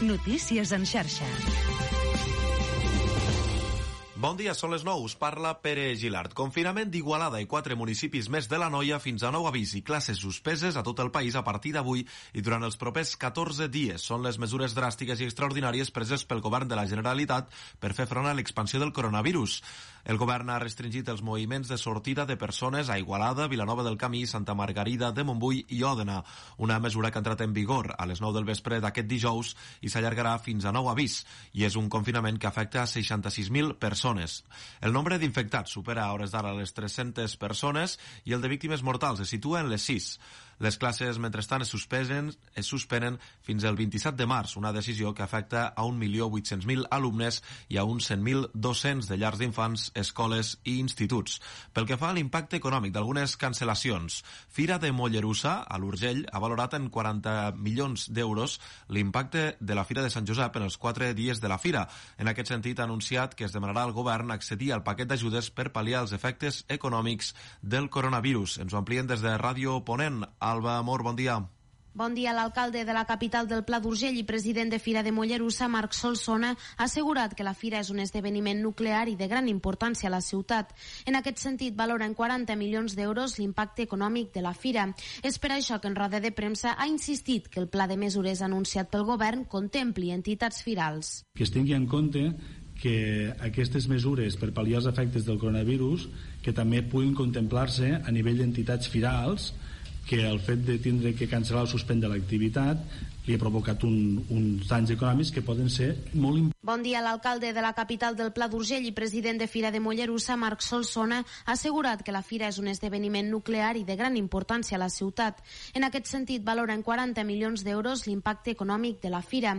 Notícies en xarxa. Bon dia, són les 9. Us parla Pere Gilart. Confinament d'Igualada i 4 municipis més de l'Anoia fins a nou avís i classes suspeses a tot el país a partir d'avui i durant els propers 14 dies. Són les mesures dràstiques i extraordinàries preses pel govern de la Generalitat per fer front a l'expansió del coronavirus. El govern ha restringit els moviments de sortida de persones a Igualada, Vilanova del Camí, Santa Margarida de Montbui i Òdena. Una mesura que ha entrat en vigor a les 9 del vespre d'aquest dijous i s'allargarà fins a nou avís. I és un confinament que afecta a 66.000 persones. El nombre d'infectats supera a hores d'ara les 300 persones i el de víctimes mortals es situa en les 6. Les classes, mentrestant, es suspenen fins al 27 de març, una decisió que afecta a 1.800.000 alumnes i a uns 100.000 docents de llars d'infants, escoles i instituts. Pel que fa a l'impacte econòmic d'algunes cancel·lacions, Fira de Mollerussa, a l'Urgell, ha valorat en 40 milions d'euros l'impacte de la Fira de Sant Josep en els 4 dies de la Fira. En aquest sentit, ha anunciat que es demanarà al govern accedir al paquet d'ajudes per pal·liar els efectes econòmics del coronavirus. Ens ho amplien des de Ràdio Ponent. Alba Amor, bon dia. Bon dia. L'alcalde de la capital del Pla d'Urgell i president de Fira de Mollerussa, Marc Solsona, ha assegurat que la Fira és un esdeveniment nuclear i de gran importància a la ciutat. En aquest sentit, valora en 40 milions d'euros l'impacte econòmic de la Fira. És per això que en roda de premsa ha insistit que el pla de mesures anunciat pel govern contempli entitats firals. Que es tingui en compte que aquestes mesures per pal·liar els efectes del coronavirus que també puguin contemplar-se a nivell d'entitats firals, que el fet de tindre que cancel·lar o suspendre l'activitat li ha provocat uns danys econòmics que poden ser molt importants. Bon dia. L'alcalde de la capital del Pla d'Urgell i president de Fira de Mollerussa, Marc Solsona, ha assegurat que la Fira és un esdeveniment nuclear i de gran importància a la ciutat. En aquest sentit, valora en 40 milions d'euros l'impacte econòmic de la Fira.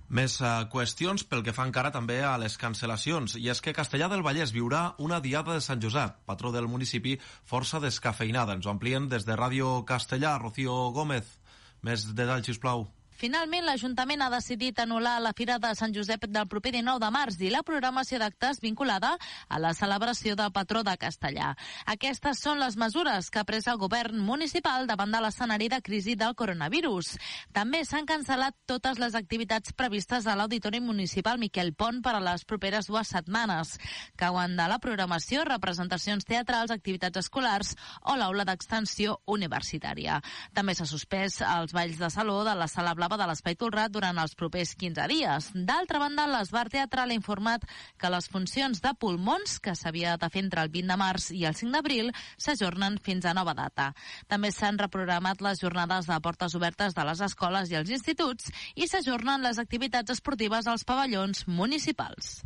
Més qüestions pel que fa encara també a les cancel·lacions, i és que Castellar del Vallès viurà una diada de Sant Josep, patró del municipi, força descafeinada. Ens ho amplien des de Ràdio Castellar. Rocío Gómez, més detalls, sisplau. Finalment, l'Ajuntament ha decidit anul·lar la Fira de Sant Josep del proper 19 de març i la programació d'actes vinculada a la celebració del patró de Castellar. Aquestes són les mesures que ha pres el govern municipal davant de l'escenari de crisi del coronavirus. També s'han cancel·lat totes les activitats previstes a l'Auditori Municipal Miquel Pont per a les properes 2 setmanes. Cauen de la programació representacions teatrals, activitats escolars o l'aula d'extensió universitària. També s'ha suspès els balls de saló de la Sala Blava de l'Espai Tolrat durant els propers 15 dies. D'altra banda, l'Esbar Teatral ha informat que les funcions de pulmons, que s'havia de fer entre el 20 de març i el 5 d'abril, s'ajornen fins a nova data. També s'han reprogramat les jornades de portes obertes de les escoles i els instituts i s'ajornen les activitats esportives als pavellons municipals.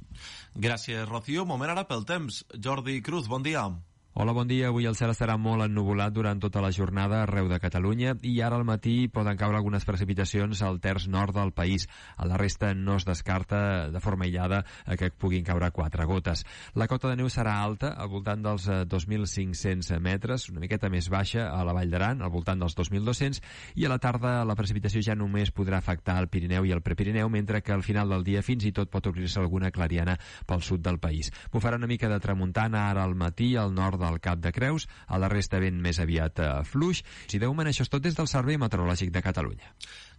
Gràcies, Rocío. Moment ara pel temps. Jordi Cruz, bon dia. Hola, bon dia. Avui el cel estarà molt ennuvolat durant tota la jornada arreu de Catalunya i ara al matí poden caure algunes precipitacions al terç nord del país. A la resta no es descarta de forma aïllada que puguin caure 4 gotes. La cota de neu serà alta, al voltant dels 2.500 metres, una miqueta més baixa a la Vall d'Aran, al voltant dels 2.200, i a la tarda la precipitació ja només podrà afectar el Pirineu i el Prepirineu, mentre que al final del dia fins i tot pot obrir-se alguna clariana pel sud del país. Bufarà una mica de tramuntana ara al matí al nord del Cap de Creus, a la resta vent més aviat fluix. Si de moment això és tot des del Servei Meteorològic de Catalunya.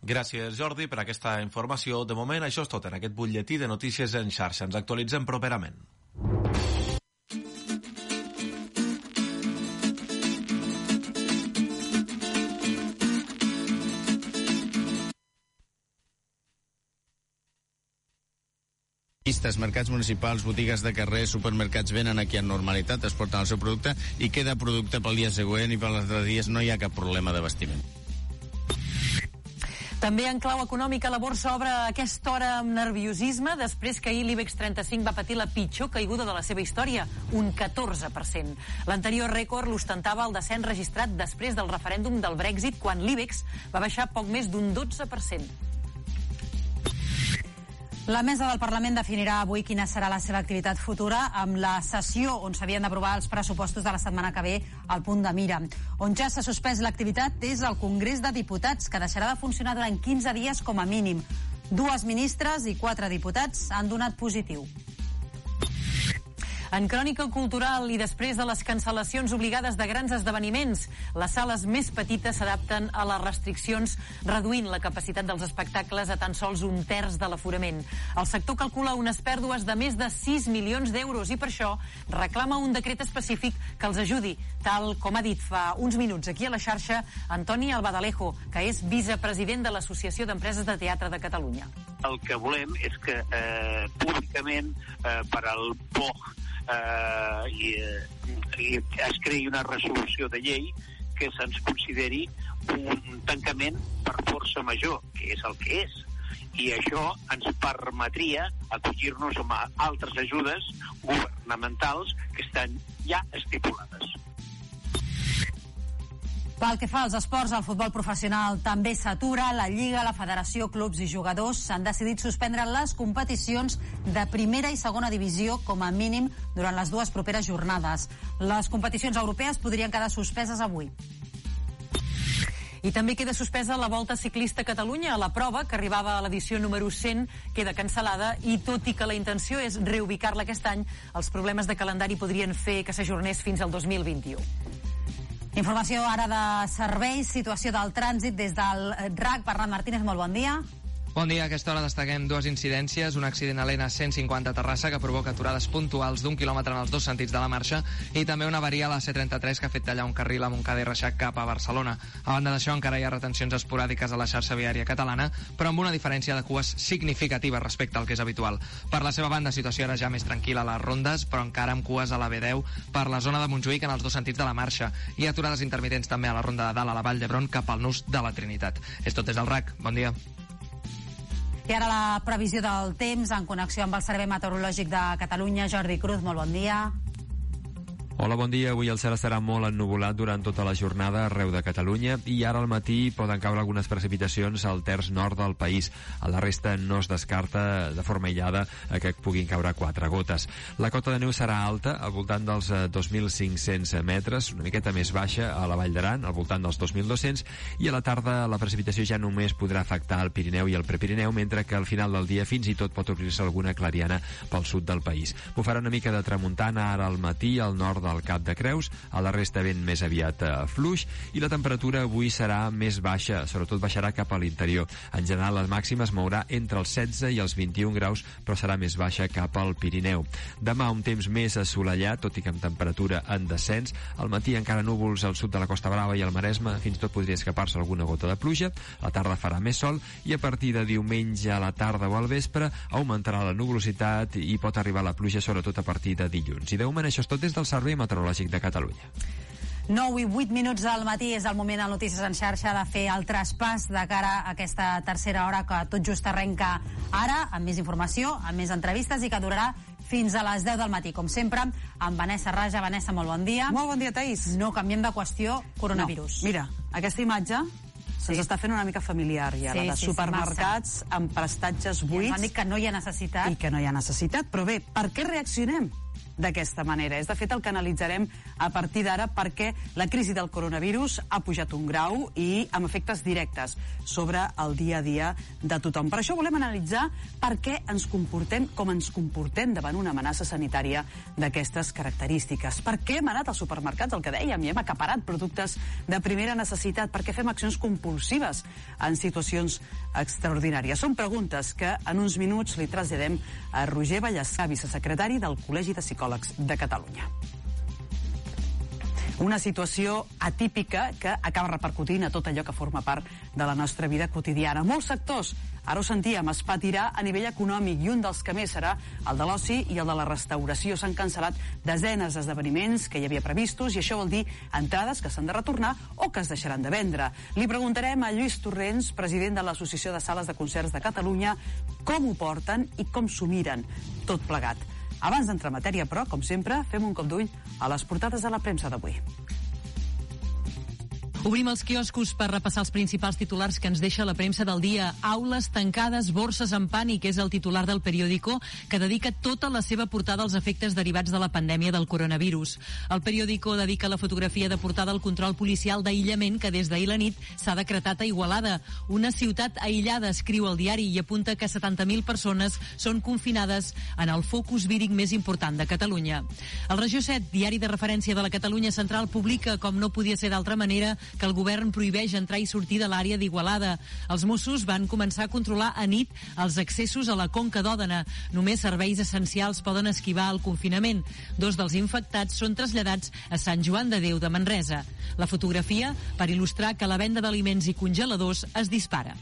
Gràcies, Jordi, per aquesta informació. De moment això és tot en aquest butlletí de notícies en xarxa. Ens actualitzem properament. Mercats municipals, botigues de carrer, supermercats venen aquí en normalitat, es porten el seu producte i queda producte pel dia següent i per les altres dies no hi ha cap problema d'abastiment. També en clau econòmica la borsa obre a aquesta hora amb nerviosisme després que ahir l'IBEX 35 va patir la pitjor caiguda de la seva història, un 14%. L'anterior rècord l'ostentava el descens registrat després del referèndum del Brexit, quan l'IBEX va baixar poc més d'un 12%. La mesa del Parlament definirà avui quina serà la seva activitat futura amb la sessió on s'havien d'aprovar els pressupostos de la setmana que ve al punt de mira. On ja s'ha suspès l'activitat és el Congrés de Diputats, que deixarà de funcionar durant 15 dies com a mínim. 2 ministres i 4 diputats han donat positiu. En crònica cultural i després de les cancel·lacions obligades de grans esdeveniments, les sales més petites s'adapten a les restriccions, reduint la capacitat dels espectacles a tan sols 1/3 de l'aforament. El sector calcula unes pèrdues de més de 6 milions d'euros i per això reclama un decret específic que els ajudi, tal com ha dit fa uns minuts aquí a la xarxa Antoni Albadalejo, que és vicepresident de l'Associació d'Empreses de Teatre de Catalunya. El que volem és que públicament per al POG i es creï una resolució de llei que se'ns consideri un tancament per força major, que és el que és. I això ens permetria acollir-nos a altres ajudes governamentals que estan ja estipulades. Pel que fa als esports, el futbol professional també s'atura. La Lliga, la Federació, clubs i jugadors s'han decidit suspendre les competicions de primera i segona divisió com a mínim durant les dues properes jornades. Les competicions europees podrien quedar suspeses avui. I també queda suspesa la Volta Ciclista a Catalunya. La prova, que arribava a l'edició número 100, queda cancel·lada i tot i que la intenció és reubicar-la aquest any, els problemes de calendari podrien fer que s'ajornés fins al 2021. Informació ara de serveis, situació del trànsit des del RAC. Bernat Martínez, molt bon dia. Bon dia, a aquesta hora destaquem dues incidències, un accident a l'N150 a Terrassa que provoca aturades puntuals d'1 quilòmetre en els dos sentits de la marxa i també una avaria a la C33 que ha fet tallar un carril a Montcada i Reixac cap a Barcelona. A banda d'això, encara hi ha retencions esporàdiques a la xarxa viària catalana, però amb una diferència de cues significativa respecte al que és habitual. Per la seva banda, situació era ja més tranquil·la a les rondes, però encara amb cues a la B10 per la zona de Montjuïc en els dos sentits de la marxa i aturades intermitents també a la ronda de dalt a la Vall d'Hebron cap al nus de la Trinitat. És tot des del RAC. Bon dia. I ara la previsió del temps en connexió amb el Servei Meteorològic de Catalunya. Jordi Cruz, molt bon dia. Hola, bon dia. Avui el cel estarà molt ennuvolat durant tota la jornada arreu de Catalunya i ara al matí poden caure algunes precipitacions al terç nord del país. A la resta no es descarta de forma aïllada que puguin caure 4 gotes. La cota de neu serà alta, al voltant dels 2.500 metres, una miqueta més baixa a la Vall d'Aran, al voltant dels 2.200, i a la tarda la precipitació ja només podrà afectar el Pirineu i el Prepirineu, mentre que al final del dia fins i tot pot obrir-se alguna clariana pel sud del país. Bufarà una mica de tramuntana ara al matí al nord del Cap de Creus, a la resta vent més aviat fluix, i la temperatura avui serà més baixa, sobretot baixarà cap a l'interior. En general, la màxima es mourà entre els 16 i els 21 graus, però serà més baixa cap al Pirineu. Demà un temps més assolellat, tot i que amb temperatura en descens. Al matí encara núvols al sud de la Costa Brava i al Maresme, fins i tot podria escapar-se alguna gota de pluja. A la tarda farà més sol i a partir de diumenge a la tarda o al vespre augmentarà la nuvolositat i pot arribar la pluja sobretot a partir de dilluns. I de moment això és tot des del Servei Meteorològic de Catalunya. 9 i 8 minuts del matí és el moment al Notícies en xarxa de fer el traspàs de cara a aquesta tercera hora que tot just arrenca ara, amb més informació, amb més entrevistes i que durarà fins a les 10 del matí, com sempre, amb Vanessa Raja. Vanessa, molt bon dia. Molt bon dia, Taís. No canviem de qüestió, coronavirus. No. Mira, aquesta imatge se'ns està fent una mica familiar ja, la de supermercats amb prestatges buits. I ens han dit que no hi ha necessitat. I que no hi ha necessitat, però bé, per què reaccionem d'aquesta manera? És de fet el que analitzarem a partir d'ara, perquè la crisi del coronavirus ha pujat un grau i amb efectes directes sobre el dia a dia de tothom. Per això volem analitzar per què ens comportem com ens comportem davant una amenaça sanitària d'aquestes característiques. Per què hem anat als supermercats, el que dèiem, i hem acaparat productes de primera necessitat? Per què fem accions compulsives en situacions extraordinàries? Són preguntes que en uns minuts li traslladem a Roger Vallès, vicesecretari del Col·legi de Psicòlegs de Catalunya. Una situació atípica que acaba repercutint a tot allò que forma part de la nostra vida quotidiana. Molts sectors, ara ho sentíem, es patirà a nivell econòmic i un dels que més serà el de l'oci i el de la restauració. S'han cancel·lat desenes d'esdeveniments que hi havia previstos i això vol dir entrades que s'han de retornar o que es deixaran de vendre. Li preguntarem a Lluís Torrents, president de l'Associació de Sales de Concerts de Catalunya, com ho porten i com s'ho miren tot plegat. Abans d'entrar en matèria, però, com sempre, fem un cop d'ull a les portades de la premsa d'avui. Obrim els quioscos per repassar els principals titulars que ens deixa la premsa del dia. Aules tancades, borses en pànic, és el titular del periòdico, que dedica tota la seva portada als efectes derivats de la pandèmia del coronavirus. El periòdico dedica la fotografia de portada al control policial d'aïllament que des d'ahir la nit s'ha decretat a Igualada. Una ciutat aïllada, escriu el diari, i apunta que 70.000 persones són confinades en el focus víric més important de Catalunya. El Regió 7, diari de referència de la Catalunya Central, publica, com no podia ser d'altra manera, que el govern prohibeix entrar i sortir de l'àrea d'Igualada. Els Mossos van començar a controlar a nit els accessos a la Conca d'Òdena. Només serveis essencials poden esquivar el confinament. 2 dels infectats són traslladats a Sant Joan de Déu de Manresa. La fotografia per il·lustrar que la venda d'aliments i congeladors es dispara.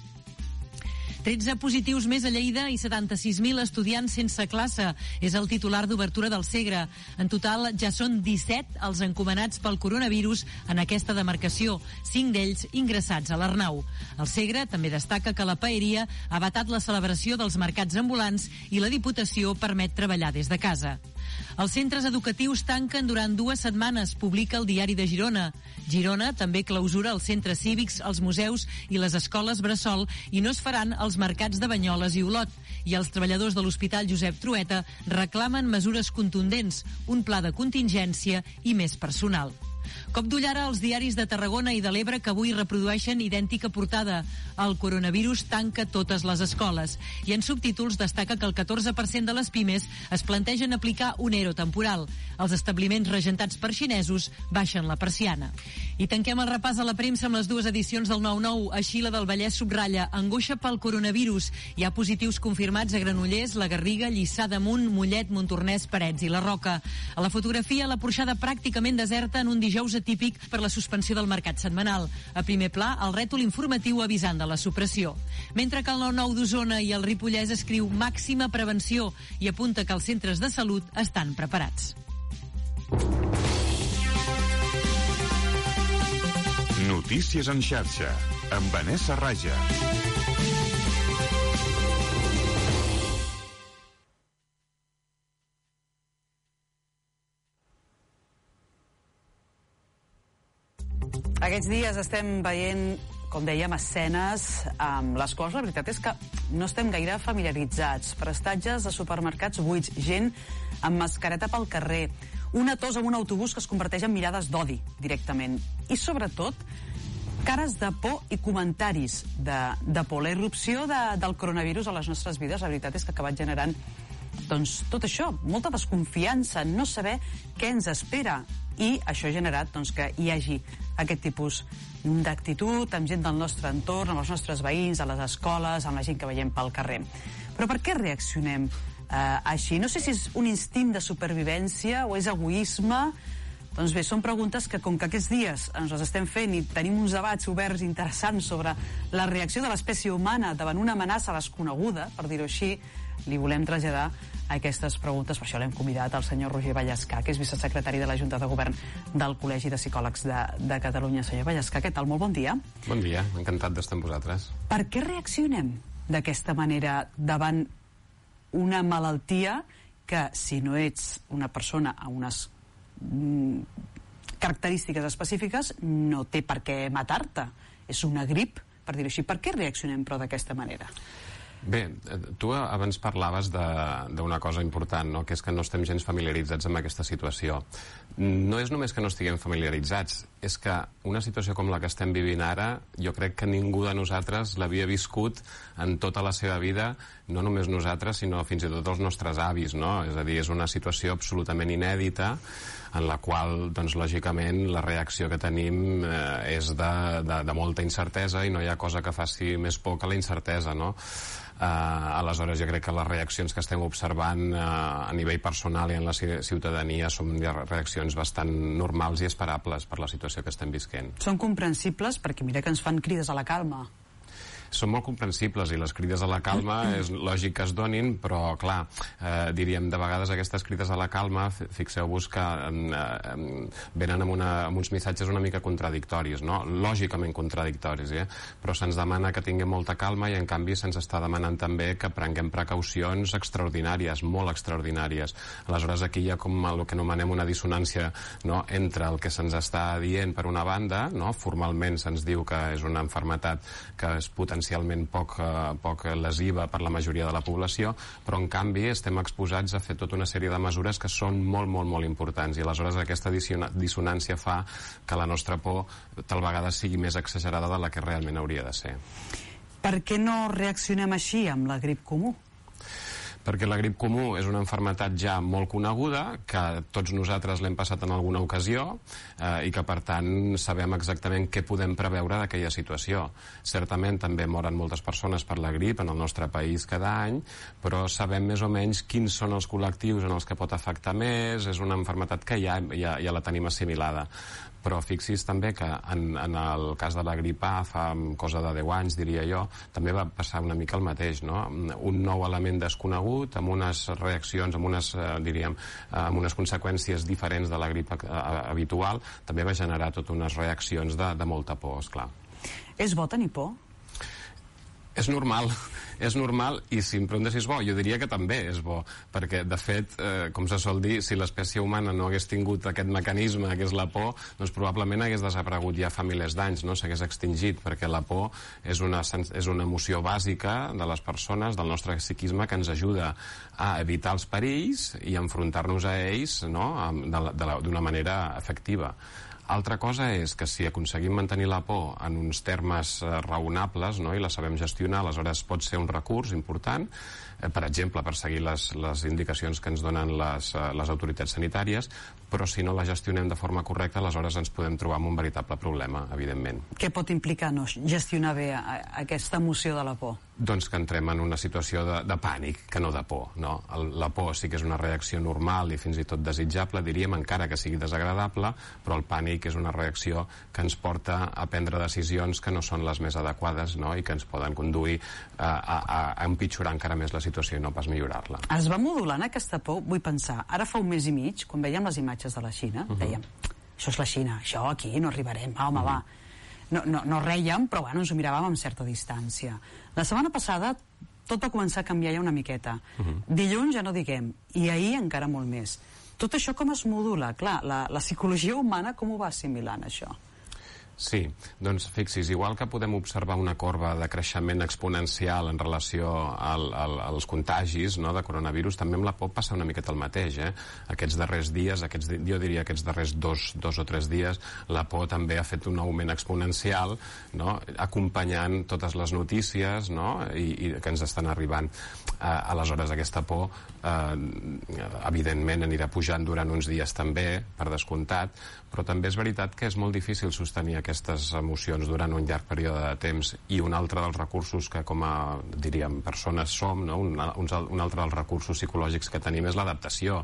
13 positius més a Lleida i 76.000 estudiants sense classe. És el titular d'obertura del Segre. En total, ja són 17 els encomanats pel coronavirus en aquesta demarcació, 5 d'ells ingressats a l'Arnau. El Segre també destaca que la Paeria ha vetat la celebració dels mercats ambulants i la Diputació permet treballar des de casa. Els centres educatius tanquen durant 2 setmanes, publica el diari de Girona. Girona també clausura els centres cívics, els museus i les escoles bressol i no es faran els mercats de Banyoles i Olot. I els treballadors de l'Hospital Josep Trueta reclamen mesures contundents, un pla de contingència i més personal. Cop d'ull ara als diaris de Tarragona i de l'Ebre que avui reprodueixen idèntica portada. El coronavirus tanca totes les escoles. I en subtítols destaca que el 14% de les pimes es plantegen aplicar un ERO temporal. Els establiments regentats per xinesos baixen la persiana. I tanquem el repàs a la premsa amb les 2 edicions del 9-9. Així la del Vallès subratlla: angoixa pel coronavirus. Hi ha positius confirmats a Granollers, la Garriga, Lliçà d'Amunt, Mollet, Montornès, Parets i la Roca. A la fotografia, la porxada pràcticament deserta en un dijous atípic per la suspensió del mercat setmanal. A primer pla, el rètol informatiu avisant de la supressió. Mentre que el 9-9 d'Osona i el Ripollès escriu màxima prevenció i apunta que els centres de salut estan preparats. Notícies en xarxa, amb Vanessa Raja. Aquests dies estem veient, com dèiem, escenes amb les quals la veritat és que no estem gaire familiaritzats. Prestatges de supermercats buits, gent amb mascareta pel carrer, una tos en un autobús que es converteix en mirades d'odi directament. I sobretot, cares de por i comentaris de por. La irrupció del coronavirus a les nostres vides, la veritat és que ha acabat generant tot això, molta desconfiança, no saber què ens espera. I això ha generat que hi hagi aquest tipus d'actitud amb gent del nostre entorn, amb els nostres veïns, a les escoles, amb la gent que veiem pel carrer. Però per què reaccionem així? No sé si és un instint de supervivència o és egoisme. Doncs bé, són preguntes que, com que aquests dies ens les estem fent i tenim uns debats oberts interessants sobre la reacció de l'espècie humana davant una amenaça desconeguda, per dir-ho així, li volem traslladar aquestes preguntes. Per això l'hem convidat al senyor Roger Vallescà, que és vicesecretari de la Junta de Govern del Col·legi de Psicòlegs de Catalunya. Senyor Vallescà, què tal? Molt bon dia. Bon dia, encantat d'estar amb vosaltres. Per què reaccionem d'aquesta manera davant una malaltia que, si no ets una persona amb unes característiques específiques, no té per què matar-te? És una grip, per dir-ho així. Per què reaccionem, però, d'aquesta manera? Bé, tu abans parlaves d'una cosa important, no? Que és que no estem gens familiaritzats amb aquesta situació. No és només que no estiguem familiaritzats, és que una situació com la que estem vivint ara, jo crec que ningú de nosaltres l'havia viscut en tota la seva vida, no només nosaltres, sinó fins i tot els nostres avis, no? És a dir, és una situació absolutament inèdita, en la qual, doncs, lògicament, la reacció que tenim és de molta incertesa i no hi ha cosa que faci més por que la incertesa, no? Aleshores, jo crec que les reaccions que estem observant a nivell personal i en la ciutadania són reaccions bastant normals i esperables per la situació que estem visquent. Són comprensibles perquè mira que ens fan crides a la calma. són molt comprensibles, i les crides a la calma és lògic que es donin, però clar, diríem, de vegades aquestes crides a la calma, fixeu-vos que venen amb uns missatges una mica contradictoris, no? Lògicament contradictoris, però se'ns demana que tinguem molta calma i en canvi se'ns està demanant també que prenguem precaucions extraordinàries, molt extraordinàries. Aleshores aquí hi ha com el que anomenem una dissonància, no?, entre el que se'ns està dient per una banda, no? Formalment se'ns diu que és una malaltia que és potencialment poc lesiva per la majoria de la població, però en canvi estem exposats a fer tota una sèrie de mesures que són molt, molt, molt importants, i aleshores aquesta dissonància fa que la nostra por tal vegada sigui més exagerada de la que realment hauria de ser. Per què no reaccionem així amb la grip comú? Perquè la grip comú és una malaltia ja molt coneguda, que tots nosaltres l'hem passat en alguna ocasió i que per tant sabem exactament què podem preveure d'aquella situació. Certament també moren moltes persones per la grip en el nostre país cada any, però sabem més o menys quins són els col·lectius en els que pot afectar més, és una malaltia que ja la tenim assimilada. Però fixi's també que en el cas de la grip A fa cosa de 10 anys, diria jo, també va passar una mica el mateix, no? Un nou element desconegut, amb unes reaccions, amb unes conseqüències diferents de la grip habitual, també va generar totes unes reaccions de molta por, esclar. És bo tenir por? És normal, i si em preguntes si és bo, jo diria que també és bo, perquè de fet, com se sol dir, si l'espècie humana no hagués tingut aquest mecanisme que és la por, doncs probablement hagués desaparegut ja fa milers d'anys, no? S'hagués extingit, perquè la por és una emoció bàsica de les persones, del nostre psiquisme, que ens ajuda a evitar els perills i a enfrontar-nos a ells, no?, d'una manera efectiva. Altra cosa és que si aconseguim mantenir la por en uns termes raonables, no?, i la sabem gestionar, aleshores pot ser un recurs important, per exemple, per seguir les indicacions que ens donen les autoritats sanitàries, però si no la gestionem de forma correcta, aleshores ens podem trobar amb un veritable problema, evidentment. Què pot implicar no gestionar bé aquesta emoció de la por? Doncs que entrem en una situació de pànic, que no de por, no? La por sí que és una reacció normal i fins i tot desitjable, diríem, encara que sigui desagradable, però el pànic és una reacció que ens porta a prendre decisions que no són les més adequades, no?, i que ens poden conduir a empitjorar encara més la situació i no pas millorar-la. Es va modulant aquesta por? Vull pensar, ara fa un mes i mig, quan veiem les imatges de la Xina, dèiem, això és la Xina, això aquí no arribarem, home, va. No rèiem, però bueno, ens ho miràvem amb certa distància. La setmana passada tot va començar a canviar ja una miqueta. Dilluns ja no diguem, i ahir encara molt més. Tot això com es modula? Clar, la psicologia humana com ho va assimilant, això? Sí, doncs fixi's, igual que podem observar una corba de creixement exponencial en relació als contagis, no?, de coronavirus, també amb la por passa una miqueta el mateix, Aquests darrers dies, jo diria aquests darrers dos o tres dies, la por també ha fet un augment exponencial, no?, acompanyant totes les notícies, no?, i que ens estan arribant. Aleshores aquesta por evidentment anirà pujant durant uns dies també, per descomptat, però també és veritat que és molt difícil sostenir aquestes emocions durant un llarg període de temps, i un altre dels recursos que com a, diríem, persones som, no?, un altre dels recursos psicològics que tenim és l'adaptació,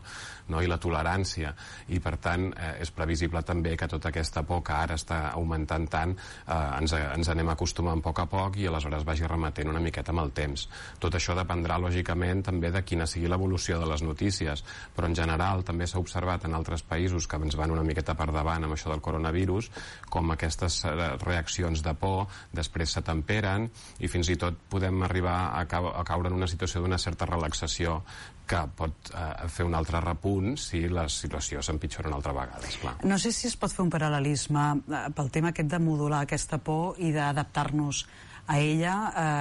no?, i la tolerància, i per tant és previsible també que tota aquesta por que ara està augmentant tant ens anem acostumant a poc i aleshores vagi remetent una miqueta amb el temps. Tot això dependrà lògicament també de quina sigui l'evolució de les notícies, però en general també s'ha observat en altres països que ens van una miqueta per davant amb això del coronavirus, com aquestes reaccions de por després s'atemperen i fins i tot podem arribar a caure en una situació d'una certa relaxació que pot fer un altre repunt si la situació s'empitjora una altra vegada, esclar. No sé si es pot fer un paral·lelisme pel tema aquest de modular aquesta por i d'adaptar-nos a ella.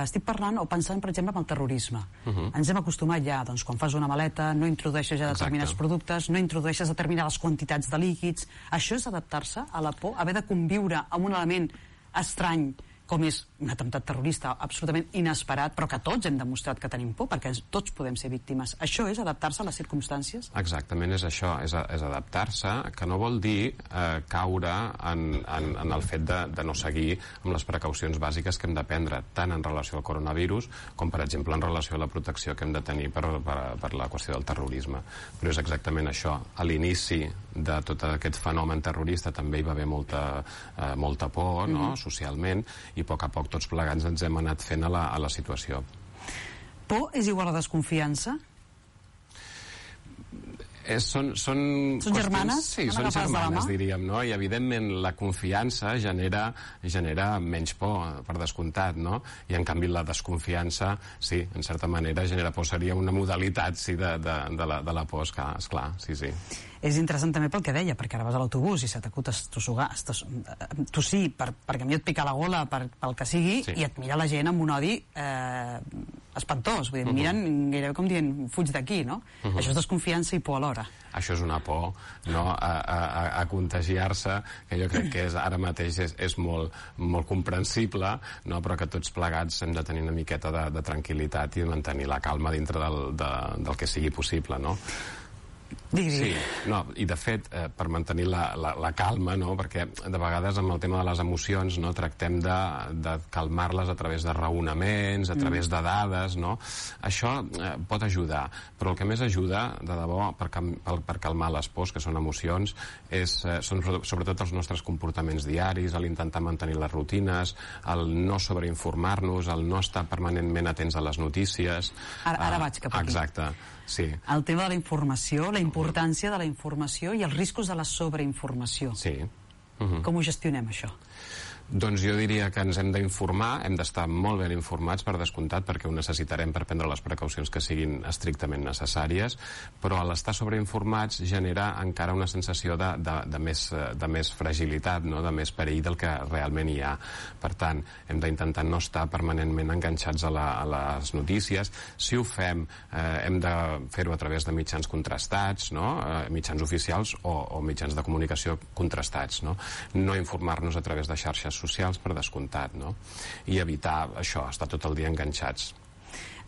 Estic parlant o pensant, per exemple, en el terrorisme. Ens hem acostumat ja, doncs, quan fas una maleta, no introdueixes ja determinats productes, no introdueixes determinades quantitats de líquids. Això és adaptar-se a la por, haver de conviure amb un element estrany com és un atemptat terrorista absolutament inesperat, però que tots hem demostrat que tenim por, perquè tots podem ser víctimes. Això és adaptar-se a les circumstàncies? Exactament, és això, és adaptar-se, que no vol dir caure en el fet de no seguir amb les precaucions bàsiques que hem de prendre, tant en relació al coronavirus com, per exemple, en relació a la protecció que hem de tenir per la qüestió del terrorisme. Però és exactament això. A l'inici de tot aquest fenomen terrorista també hi va haver molta por, no?, socialment, i a poc tots plegats ens hem anat fent a la situació. Por és igual a desconfiança? Són germanes? Sí, són germanes, diríem, no? I evidentment la confiança genera menys por, per descomptat, no? I en canvi la desconfiança, sí, en certa manera genera por, seria una modalitat, sí, de la por, esclar, sí. És interessant també pel que deia, perquè ara vas a l'autobús i se t'acut tossir perquè a mi et pica la gola pel que sigui, sí. I et mira la gent amb un odi espantós, vull dir, miren gairebé com dient, fuig d'aquí, no? Això és desconfiança i por alhora. Això és una por, no?, a contagiar-se, que jo crec que ara mateix és molt comprensible, no?, però que tots plegats hem de tenir una miqueta de tranquil·litat i mantenir la calma dintre del que sigui possible, no? Sí, no, i de fet, per mantenir la calma, no?, perquè de vegades amb el tema de les emocions, no?, tractem de calmar-les a través de raonaments, a través de dades, no? Això pot ajudar, però el que més ajuda, de debò, per calmar les pors, que són emocions, són sobretot els nostres comportaments diaris, l'intentar mantenir les rutines, el no sobreinformar-nos, el no estar permanentment atents a les notícies. Ara vaig cap aquí. Exacte, sí. El tema de la informació, la importància de la informació i els riscos de la sobreinformació. Sí. Com ho gestionem, això? Doncs jo diria que ens hem d'informar, hem d'estar molt ben informats, per descomptat, perquè ho necessitarem per prendre les precaucions que siguin estrictament necessàries, però a l'estar sobreinformats genera encara una sensació de més fragilitat, no?, de més perill del que realment hi ha. Per tant, hem d'intentar no estar permanentment enganxats a les notícies. Si ho fem, hem de fer-ho a través de mitjans contrastats, no?, mitjans oficials o mitjans de comunicació contrastats, no? No informar-nos a través de xarxes socials, per descomptat, no? I evitar això, estar tot el dia enganxats.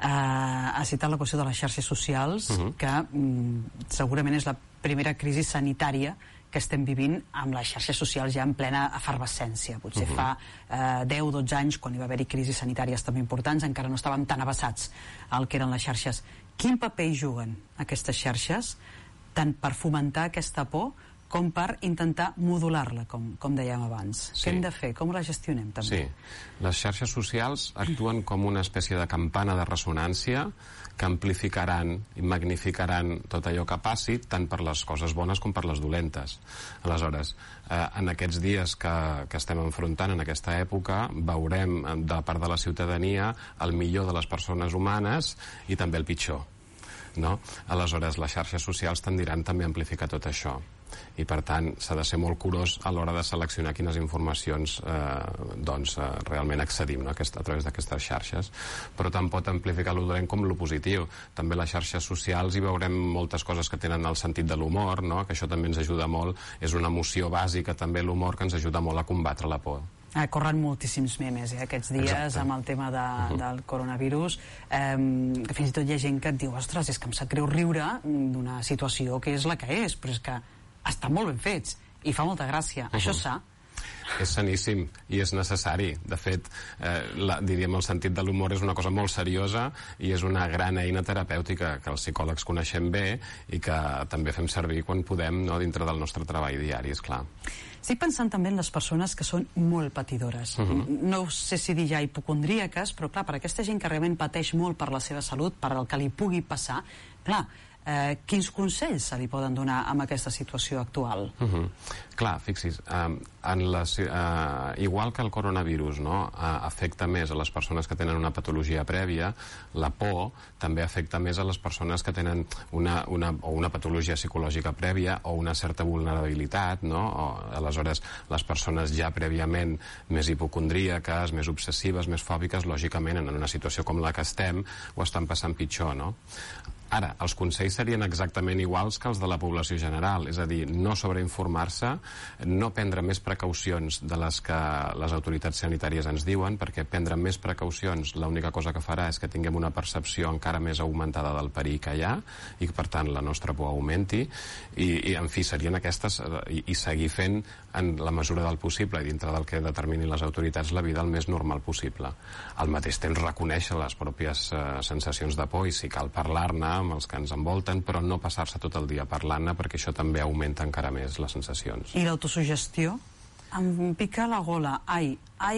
Ha citat la qüestió de les xarxes socials, que segurament és la primera crisi sanitària que estem vivint amb les xarxes socials ja en plena efervescència. Potser fa 10-12 anys, quan hi va haver-hi crisis sanitàries també importants, encara no estàvem tan avasats al que eren les xarxes. Quin paper hi juguen aquestes xarxes, tant per fomentar aquesta por com per intentar modular-la, com dèiem abans? Sí. Què hem de fer? Com la gestionem, també? Sí. Les xarxes socials actuen com una espècie de campana de ressonància que amplificaran i magnificaran tot allò que passi, tant per les coses bones com per les dolentes. Aleshores, en aquests dies que estem enfrontant, en aquesta època, veurem de part de la ciutadania el millor de les persones humanes i també el pitjor, no? Aleshores, les xarxes socials tendiran també a amplificar tot això. I per tant s'ha de ser molt curós a l'hora de seleccionar quines informacions realment accedim, no?, a través d'aquestes xarxes, però tant pot amplificar lo dolent com lo positiu. També les xarxes socials hi veurem moltes coses que tenen el sentit de l'humor, no?, que això també ens ajuda molt, és una emoció bàsica també l'humor que ens ajuda molt a combatre la por. Corren moltíssims memes aquests dies. Exacte. Amb el tema del coronavirus, que fins i tot hi ha gent que et diu, ostres, és que em sap greu riure d'una situació que és la que és, però és que estan molt ben fets i fa molta gràcia. Això és sa? És saníssim i és necessari. De fet, diríem, el sentit de l'humor és una cosa molt seriosa i és una gran eina terapèutica que els psicòlegs coneixem bé i que també fem servir quan podem, no?, dintre del nostre treball diari, esclar. Estic pensant també en les persones que són molt patidores. No sé si dir ja hipocondríaques, però clar, per aquesta gent que realment pateix molt per la seva salut, per el que li pugui passar, clar, quins consells se li poden donar amb aquesta situació actual? Clar, fixis, igual que el coronavirus, no?, afecta més a les persones que tenen una patologia prèvia, la por també afecta més a les persones que tenen una patologia psicològica prèvia o una certa vulnerabilitat, no? Aleshores, les persones ja prèviament més hipocondríaques, més obsessives, més fòbiques, lògicament, en una situació com la que estem, ho estan passant pitjor, no? Ara, els consells serien exactament iguals que els de la població general, és a dir, no sobreinformar-se, no prendre més precaucions de les que les autoritats sanitàries ens diuen, perquè prendre més precaucions l'única cosa que farà és que tinguem una percepció encara més augmentada del perill que hi ha i que, per tant, la nostra por augmenti i en fi, serien aquestes i seguir fent en la mesura del possible i dintre del que determinin les autoritats la vida el més normal possible. Al mateix temps reconèixer les pròpies sensacions de por i si cal parlar-ne amb els que ens envolten, però no passar-se tot el dia parlant-ne perquè això també augmenta encara més les sensacions. I l'autosugestió? Em pica la gola,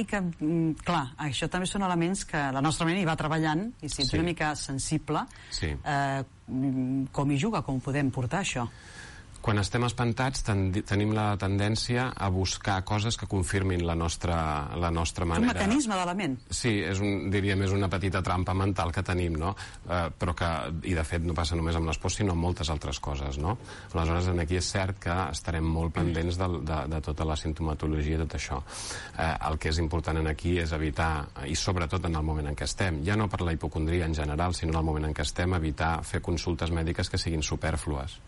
que, clar, això també són elements que la nostra ment hi va treballant i si ets una mica sensible, com hi juga, com podem portar això? Quan estem espantats tenim la tendència a buscar coses que confirmin la nostra manera. És un mecanisme de la ment. Sí, diríem, és una petita trampa mental que tenim, no? Però que, i de fet no passa només amb les pors, sinó amb moltes altres coses, no? Aleshores, aquí és cert que estarem molt pendents de tota la simptomatologia i tot això. El que és important aquí és evitar, i sobretot en el moment en què estem, ja no per la hipocondria en general, sinó en el moment en què estem, evitar fer consultes mèdiques que siguin supèrflues,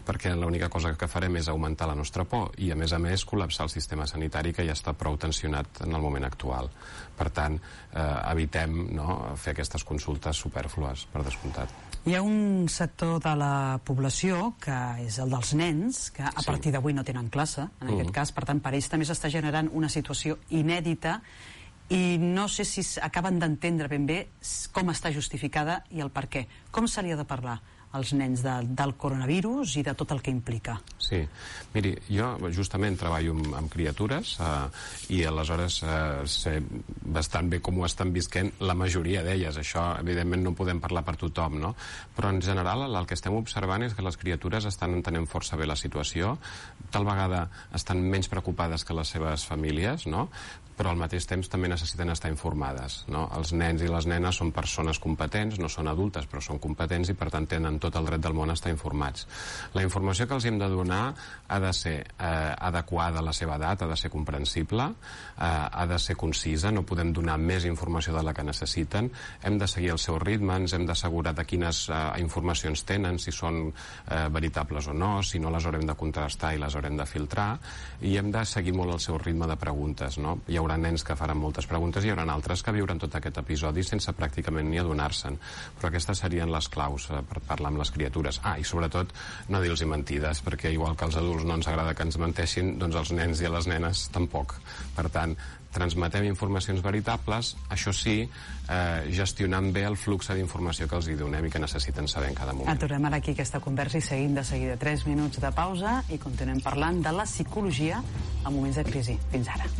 perquè l'única cosa que farem és augmentar la nostra por i, a més, col·lapsar el sistema sanitari que ja està prou tensionat en el moment actual. Per tant, evitem fer aquestes consultes supèrflues, per descomptat. Hi ha un sector de la població, que és el dels nens, que a partir d'avui no tenen classe, en aquest cas, per tant, per ells també s'està generant una situació inèdita i no sé si acaben d'entendre ben bé com està justificada i el per què. Com se li ha de parlar als nens del coronavirus i de tot el que implica? Sí, miri, jo justament treballo amb criatures i aleshores sé bastant bé com ho estan visquent la majoria d'elles. Això, evidentment, no podem parlar per tothom, no? Però en general el que estem observant és que les criatures estan entenent força bé la situació, tal vegada estan menys preocupades que les seves famílies, no? Però al mateix temps també necessiten estar informades, no? Els nens i les nenes són persones competents, no són adultes, però són competents i per tant tenen tot el dret del món a estar informats. La informació que els hem de donar ha de ser adequada a la seva edat, ha de ser comprensible, ha de ser concisa, no podem donar més informació de la que necessiten, hem de seguir el seu ritme, ens hem d'assegurar de quines informacions tenen, si són veritables o no, si no les haurem de contrastar i les haurem de filtrar, i hem de seguir molt el seu ritme de preguntes, no? Hi haurà nens que faran moltes preguntes i hi haurà altres que viuran tot aquest episodi sense pràcticament ni adonar-se'n, però aquestes serien les claus per parlar amb les criatures. I sobretot no dir-los mentides, perquè igual que als adults no ens agrada que ens menteixin, doncs als nens i a les nenes tampoc. Per tant, transmetem informacions veritables, això sí, gestionant bé el flux d'informació que els hi donem i que necessiten saber en cada moment. Aturem ara aquí aquesta conversa i seguim de seguida 3 minuts de pausa i continuem parlant de la psicologia en moments de crisi. Fins ara.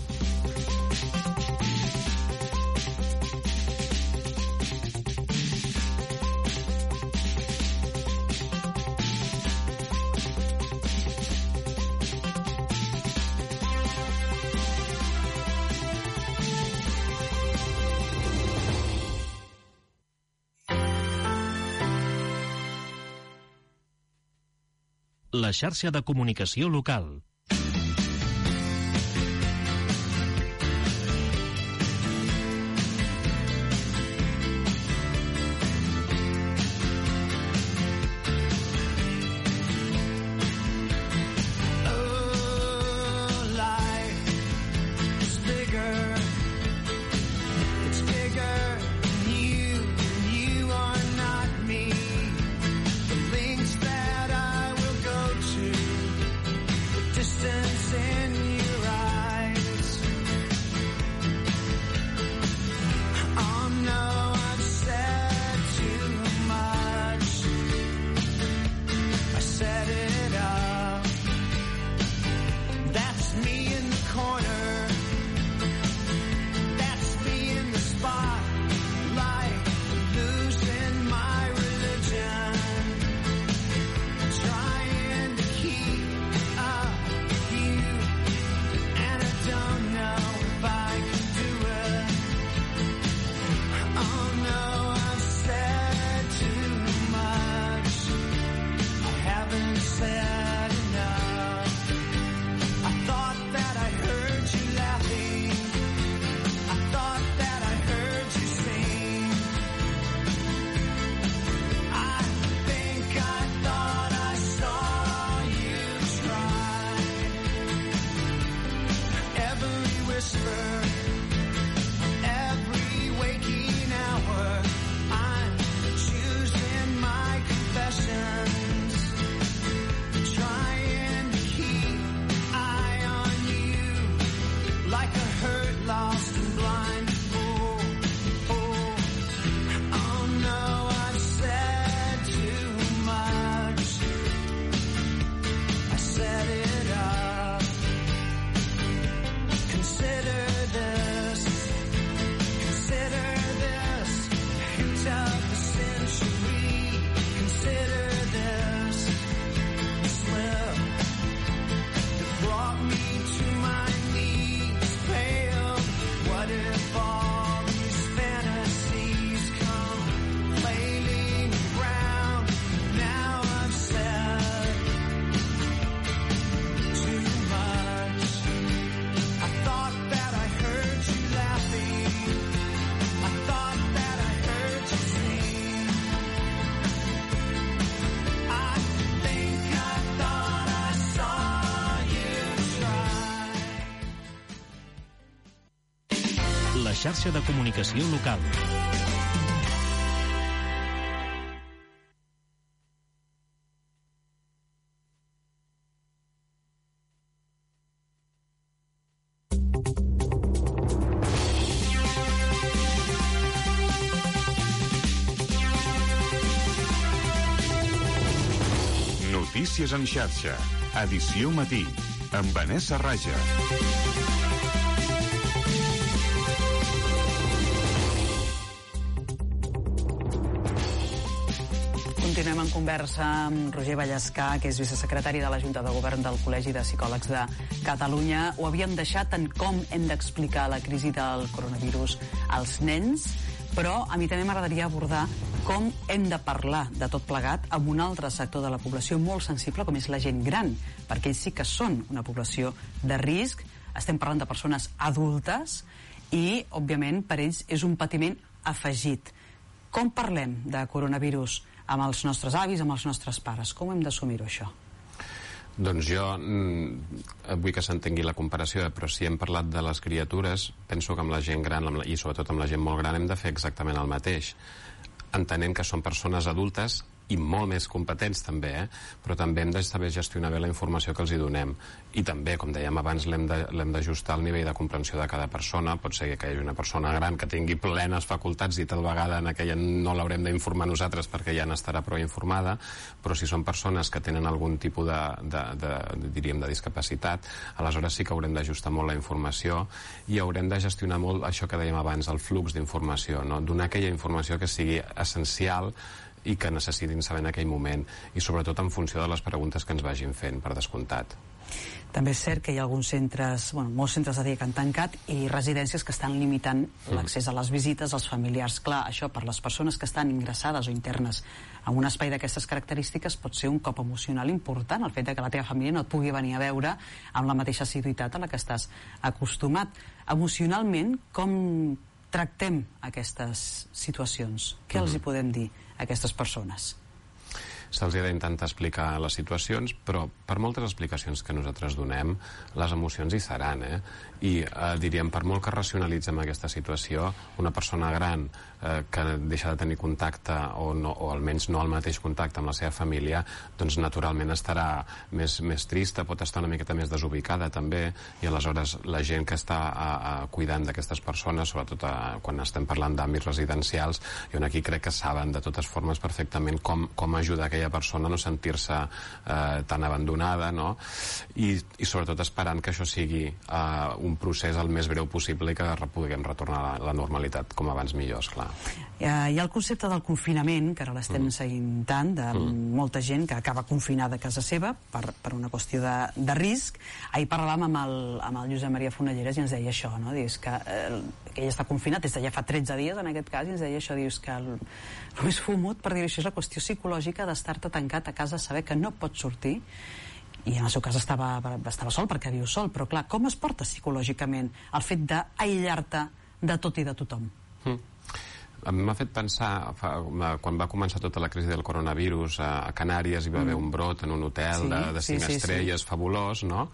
La xarxa de comunicació local. xarxa de comunicació local. Notícies en xarxa, edició matí, amb Vanessa Raja. Continuem en conversa amb Roger Vallescà, que és vicesecretari de la Junta de Govern del Col·legi de Psicòlegs de Catalunya. Ho havíem deixat en com hem d'explicar la crisi del coronavirus als nens, però a mi també m'agradaria abordar com hem de parlar de tot plegat amb un altre sector de la població molt sensible, com és la gent gran, perquè ells sí que són una població de risc. Estem parlant de persones adultes i, òbviament, per ells és un patiment afegit. Com parlem de coronavirus amb els nostres avis, amb els nostres pares? Com hem d'assumir-ho, això? Doncs jo vull que s'entengui la comparació, però si hem parlat de les criatures, penso que amb la gent gran i sobretot amb la gent molt gran hem de fer exactament el mateix, entenent que són persones adultes i molt més competents també, però també hem de saber gestionar bé la informació que els hi donem. I també, com dèiem abans, l'hem d'ajustar al nivell de comprensió de cada persona. Pot ser que hi hagi una persona gran que tingui plenes facultats i tal vegada en aquella no l'haurem d'informar nosaltres perquè ja n'estarà prou informada, però si són persones que tenen algun tipus de discapacitat, aleshores sí que haurem d'ajustar molt la informació i haurem de gestionar molt això que dèiem abans, el flux d'informació, no? Donar aquella informació que sigui essencial i que necessitin saber en aquell moment, i sobretot en funció de les preguntes que ens vagin fent, per descomptat. També és cert que hi ha alguns centres, molts centres de dia que han tancat i residències que estan limitant l'accés a les visites als familiars. Clar, això per les persones que estan ingressades o internes en un espai d'aquestes característiques pot ser un cop emocional important, el fet que la teva família no et pugui venir a veure amb la mateixa assiduïtat a la que estàs acostumat. Emocionalment, com tractem aquestes situacions? Què els hi podem dir a aquestes persones? Se'ls ha d'intentar explicar les situacions, però per moltes explicacions que nosaltres donem, les emocions hi seran, I diríem, per molt que racionalitzem aquesta situació, una persona gran que deixa de tenir contacte o almenys no el mateix contacte amb la seva família, doncs naturalment estarà més trista, pot estar una miqueta més desubicada també, i aleshores la gent que està cuidant d'aquestes persones, sobretot quan estem parlant d'àmbits residencials, jo aquí crec que saben de totes formes perfectament com ajudar aquella persona a no sentir-se tan abandonada, no? I sobretot esperant que això sigui un procés el més breu possible i que puguem retornar a la normalitat com abans millor, esclar. Hi ha el concepte del confinament, que ara l'estem seguint tant, de molta gent que acaba confinada a casa seva per una qüestió de risc. Ahir parlàvem amb el Josep Maria Fonelleres i ens deia això, no? Dius que ell està confinat des de ja fa 13 dies, en aquest cas, i ens deia això, dius que el més fumut, per dir-ho així, és la qüestió psicològica d'estar-te tancat a casa, saber que no pots sortir, i en el seu cas estava sol perquè viu sol, però clar, com es porta psicològicament el fet d'aïllar-te de tot i de tothom? A mi m'ha fet pensar, quan va començar tota la crisi del coronavirus, a Canàries hi va haver un brot en un hotel de 5 estrelles fabulós, no?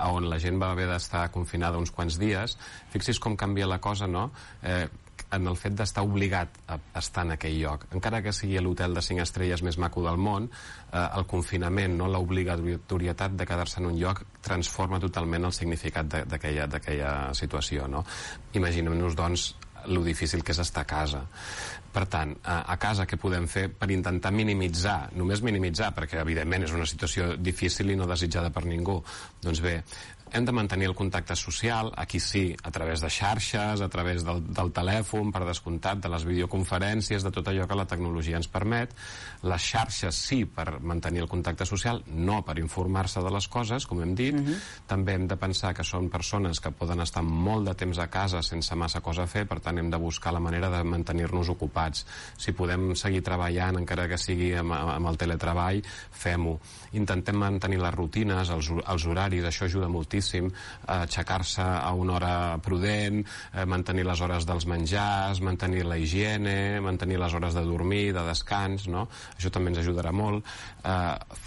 On la gent va haver d'estar confinada uns quants dies. Fixi's com canvia la cosa, no? En el fet d'estar obligat a estar en aquell lloc. Encara que sigui l'hotel de 5 estrelles més maco del món, el confinament, no, l'obligatorietat de quedar-se en un lloc transforma totalment el significat d'aquella situació, no? Imaginem-nos, doncs, lo difícil que és estar a casa. Per tant, a casa què podem fer per intentar minimitzar, només minimitzar, perquè evidentment és una situació difícil i no desitjada per ningú? Doncs bé, hem de mantenir el contacte social, aquí sí, a través de xarxes, a través del telèfon, per descomptat, de les videoconferències, de tot allò que la tecnologia ens permet. Les xarxes sí per mantenir el contacte social, no per informar-se de les coses, com hem dit. També hem de pensar que són persones que poden estar molt de temps a casa sense massa cosa a fer, per tant hem de buscar la manera de mantenir-nos ocupats. Si podem seguir treballant, encara que sigui amb el teletreball, fem-ho. Intentem mantenir les rutines, els horaris, això ajuda moltíssim. moltíssim aixecar-se a una hora prudent, mantenir les hores dels menjars, mantenir la higiene, mantenir les hores de dormir, de descans, no? Això també ens ajudarà molt.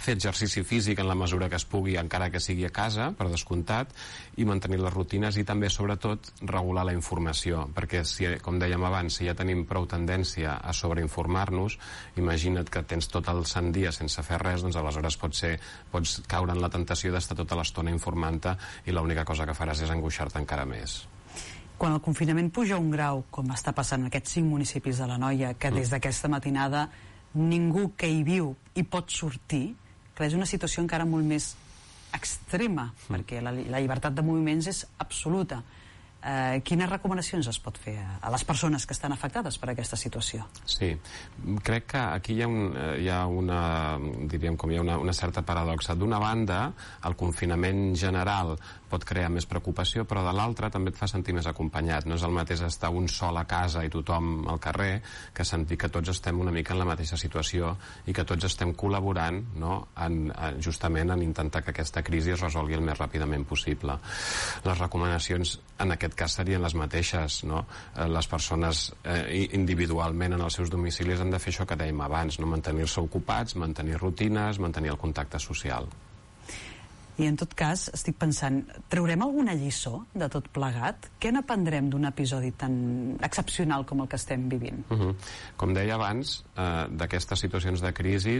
Fer exercici físic en la mesura que es pugui, encara que sigui a casa, per descomptat, i mantenir les rutines i també, sobretot, regular la informació, perquè, com dèiem abans, si ja tenim prou tendència a sobreinformar-nos, imagina't que tens tot el sant dia sense fer res, doncs aleshores pots caure en la tentació d'estar tota l'estona informant-te i l'única cosa que faràs és angoixar-te encara més. Quan el confinament puja un grau, com està passant en aquests 5 municipis de l'Anoia, que des d'aquesta matinada ningú que hi viu hi pot sortir, que és una situació encara molt més extrema, perquè la llibertat de moviments és absoluta. Quines recomanacions es pot fer a les persones que estan afectades per aquesta situació? Sí, crec que aquí hi ha una certa paradoxa. D'una banda, el confinament general pot crear més preocupació, però de l'altra també et fa sentir més acompanyat. No és el mateix estar un sol a casa i tothom al carrer que sentir que tots estem una mica en la mateixa situació i que tots estem col·laborant, no?, justament en intentar que aquesta crisi es resolgui el més ràpidament possible. Les recomanacions en aquest cas serien les mateixes, no? Les persones individualment en els seus domicilis han de fer això que dèiem abans, no? Mantenir-se ocupats, mantenir rutines, mantenir el contacte social. I en tot cas, estic pensant, traurem alguna lliçó de tot plegat? Què n'aprendrem d'un episodi tan excepcional com el que estem vivint? Com deia abans, d'aquestes situacions de crisi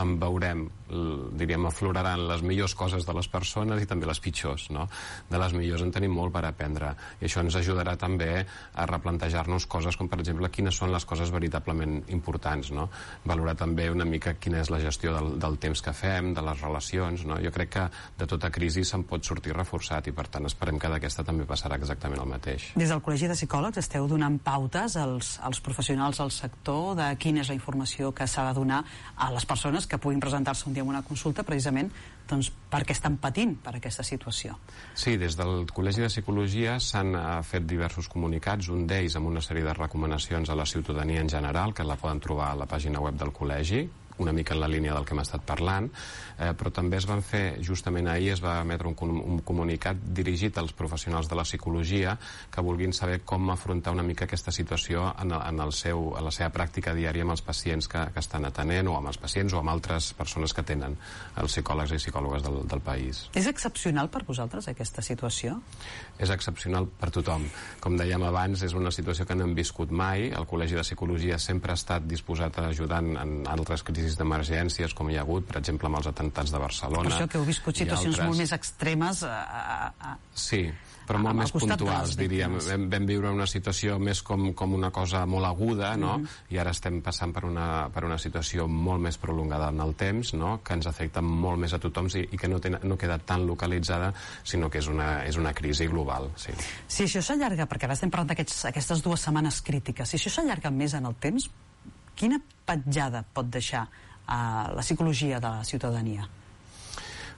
en veurem, diríem, afloraran les millors coses de les persones i també les pitjors, no? De les millors en tenim molt per aprendre i això ens ajudarà també a replantejar-nos coses com, per exemple, quines són les coses veritablement importants, no? Valorar també una mica quina és la gestió del temps que fem, de les relacions, no? Jo crec que de tota crisi se'n pot sortir reforçat i per tant esperem que d'aquesta també passarà exactament el mateix. Des del Col·legi de Psicòlegs esteu donant pautes als professionals del sector de quina és la informació que s'ha de donar a les persones que puguin presentar-se un dia en una consulta precisament doncs, perquè estan patint per aquesta situació. Sí, des del Col·legi de Psicologia s'han fet diversos comunicats, un d'ells amb una sèrie de recomanacions a la ciutadania en general, que la poden trobar a la pàgina web del Col·legi, una mica en la línia del que hem estat parlant, però també es van fer, justament ahir es va emetre un comunicat dirigit als professionals de la psicologia que vulguin saber com afrontar una mica aquesta situació en la seva pràctica diària amb els pacients que estan atenent, o amb els pacients o amb altres persones que tenen els psicòlegs i psicòlogues del país. És excepcional per vosaltres aquesta situació? És excepcional per tothom. Com dèiem abans, és una situació que no hem viscut mai. El Col·legi de Psicologia sempre ha estat disposat a ajudar en altres crisis d'emergències com hi ha hagut, per exemple, amb els atemptats de Barcelona. Per això que heu viscut situacions molt més extremes. Sí, però molt més puntuals, diríem. Vam viure una situació més com una cosa molt aguda, no? I ara estem passant per una situació molt més prolongada en el temps, no? Que ens afecta molt més a tothom i que no queda tan localitzada, sinó que és una crisi global. Sí. Si això s'allarga, perquè ara estem parlant d'aquestes 2 setmanes crítiques, si això s'allarga més en el temps, quina petjada pot deixar a la psicologia de la ciutadania?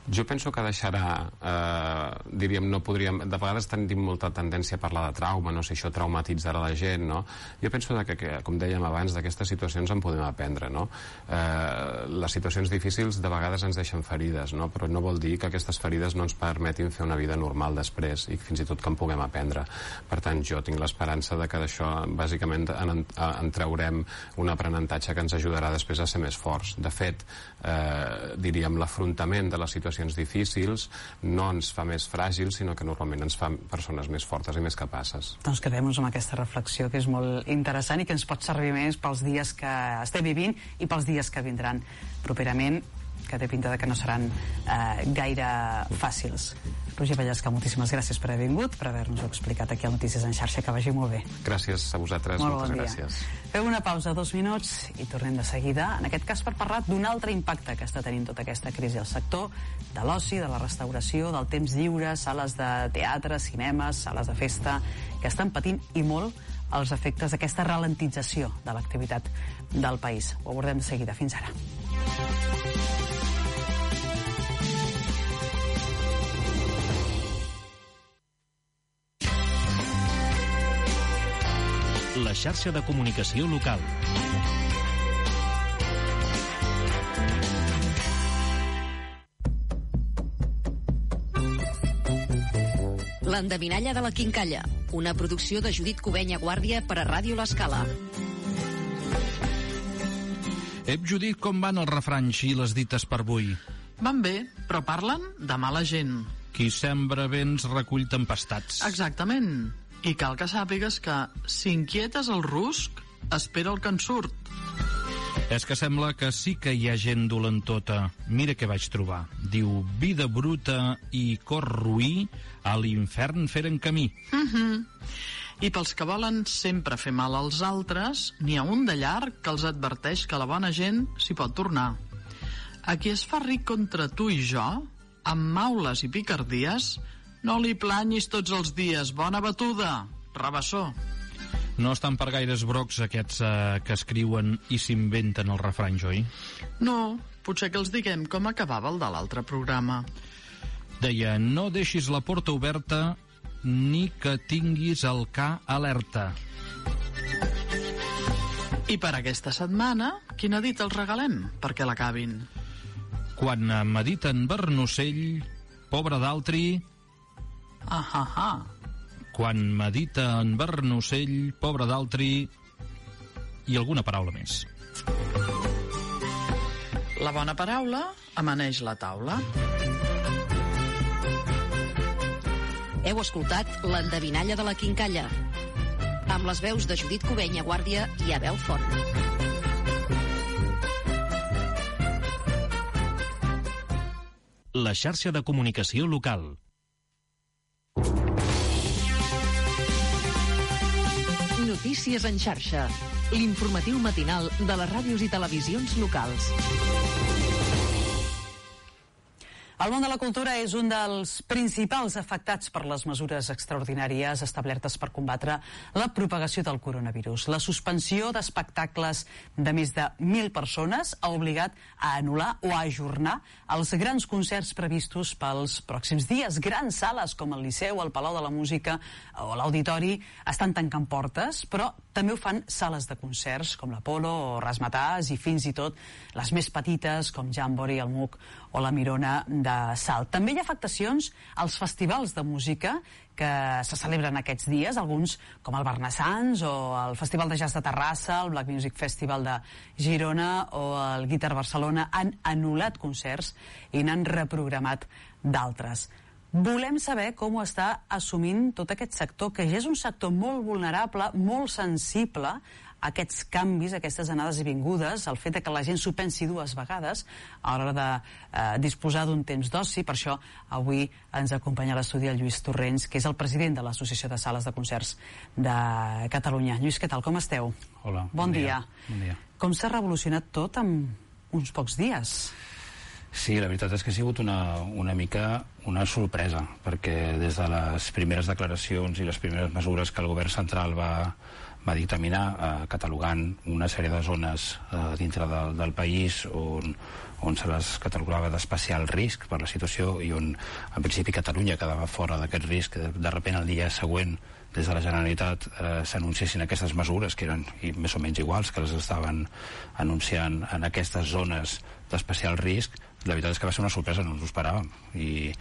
Jo penso que deixarà, diríem, no podríem... De vegades tenim molta tendència a parlar de trauma, no sé, això traumatitzarà la gent, no? Jo penso que, com dèiem abans, d'aquestes situacions en podem aprendre, no? Les situacions difícils de vegades ens deixen ferides, no? Però no vol dir que aquestes ferides no ens permetin fer una vida normal després i fins i tot que en puguem aprendre. Per tant, jo tinc l'esperança de que d'això, bàsicament, en traurem un aprenentatge que ens ajudarà després a ser més forts. De fet, diríem, l'afrontament de les situacions difícils no ens fa més fràgils, sinó que normalment ens fa persones més fortes i més capaces. Doncs quedem-nos amb aquesta reflexió que és molt interessant i que ens pot servir més pels dies que estem vivint i pels dies que vindran properament, que té pinta de que no seran gaire fàcils. Roger Vallesca, moltíssimes gràcies per haver vingut, per haver-nos-ho explicat aquí a Notícies en Xarxa, que vagi molt bé. Gràcies a vosaltres, moltes gràcies. Fem una pausa, 2 minuts, i tornem de seguida, en aquest cas per parlar d'un altre impacte que està tenint tota aquesta crisi al sector de l'oci, de la restauració, del temps lliure, sales de teatre, cinemes, sales de festa, que estan patint i molt els efectes d'aquesta ralentització de l'activitat del país. Ho abordem de seguida. Fins ara. La xarxa de comunicació local. L'endevinalla de la quincalla, una producció de Judit Cubenya Guàrdia per a Ràdio L'Escala. Ep, Judit, com van els refranys i les dites per avui? Van bé, però parlen de mala gent. Qui sembra vents recull tempestats. Exactament. I cal que sàpigues que si inquietes el rusc, espera el que en surt. És que sembla que sí que hi ha gent dolentota. Mira què vaig trobar. Diu, vida bruta i cor roí, a l'infern feren camí. I pels que volen sempre fer mal als altres, n'hi ha un de llarg que els adverteix que la bona gent s'hi pot tornar. A qui es fa ric contra tu i jo, amb maules i picardies, no li planyis tots els dies. Bona batuda, rabassó. No estan per gaires brocs aquests que escriuen i s'inventen els refranys, oi? No, potser que els diguem com acabava el de l'altre programa. Deia, no deixis la porta oberta ni que tinguis el ca alerta. I per aquesta setmana, quina dita els regalem perquè l'acabin? Quan mediten Bernocell, pobre d'altri... Quan medita en Bernocell, pobre d'altri... I alguna paraula més. La bona paraula amaneix la taula. Heu escoltat l'endevinalla de la quincalla, amb les veus de Judit Cubenya Guàrdia i Abel Font. La xarxa de comunicació local. Notícies en xarxa. L'informatiu matinal de les ràdios i televisions locals. El món de la cultura és un dels principals afectats per les mesures extraordinàries establertes per combatre la propagació del coronavirus. La suspensió d'espectacles de més de 1.000 persones ha obligat a anul·lar o a ajornar els grans concerts previstos pels pròxims dies. Grans sales com el Liceu, el Palau de la Música o l'Auditori estan tancant portes, però també ho fan sales de concerts com l'Apolo o Razzmatazz i fins i tot les més petites com Jamboree, el MUC o la Mirona de Salt. També hi ha afectacions als festivals de música que se celebren aquests dies, alguns com el Barnassans o el Festival de Jazz de Terrassa, el Black Music Festival de Girona o el Guitar Barcelona han anul·lat concerts i n'han reprogramat d'altres. Volem saber com ho està assumint tot aquest sector, que ja és un sector molt vulnerable, molt sensible a aquests canvis, a aquestes anades i vingudes, el fet que la gent s'ho pensi dues vegades a l'hora de disposar d'un temps d'oci. Per això avui ens acompanya a l'estudi el Lluís Torrents, que és el president de l'Associació de Sales de Concerts de Catalunya. Lluís, què tal? Com esteu? Hola. Bon dia. Bon dia. Com s'ha revolucionat tot en uns pocs dies? Sí, la veritat és que ha sigut una mica una sorpresa, perquè des de les primeres declaracions i les primeres mesures que el govern central va dictaminar, catalogant una sèrie de zones dintre del país on se les catalogava d'especial risc per la situació i on en principi Catalunya quedava fora d'aquest risc, de sobte el dia següent des de la Generalitat s'anunciessin aquestes mesures que eren més o menys iguals que les estaven anunciant en aquestes zones d'especial risc. La veritat és que va ser una sorpresa, no ens ho esperàvem i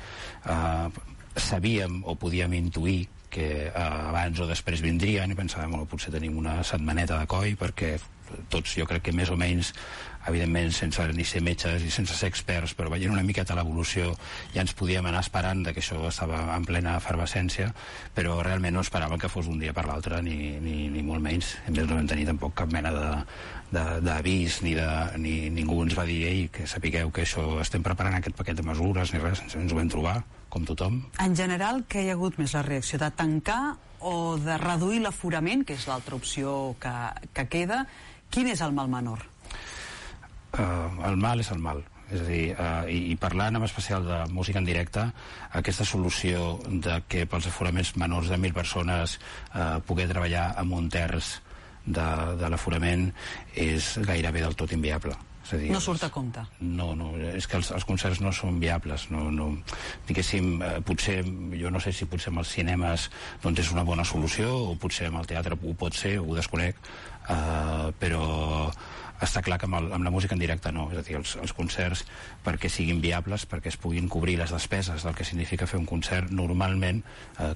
sabíem o podíem intuir que abans o després vindrien i pensàvem, bueno, potser tenim una setmaneta de coi, perquè tots jo crec que més o menys, evidentment sense ni ser metges i sense ser experts, però veient una miqueta l'evolució ja ens podíem anar esperant que això estava en plena efervescència, però realment no esperàvem que fos un dia per l'altre ni molt menys. A més no vam tenir tampoc cap mena d'avís ni ningú ens va dir que sapigueu que això estem preparant aquest paquet de mesures ni res, ens ho vam trobar com tothom. En general, què hi ha hagut més? La reacció de tancar o de reduir l'aforament, que és l'altra opció que queda? Quin és el mal menor? El mal és el mal. És a dir, i parlant en especial de música en directe, aquesta solució de que pels aforaments menors de 1.000 persones poder treballar amb un terç de l'aforament és gairebé del tot inviable. És a dir, no surt a compte. No, és que els concerts no són viables. Diguéssim, potser, jo no sé si potser amb els cinemes doncs és una bona solució, o potser amb el teatre ho pot ser, ho desconec, però està clar que amb la música en directe no, és a dir, els concerts, perquè siguin viables, perquè es puguin cobrir les despeses del que significa fer un concert, normalment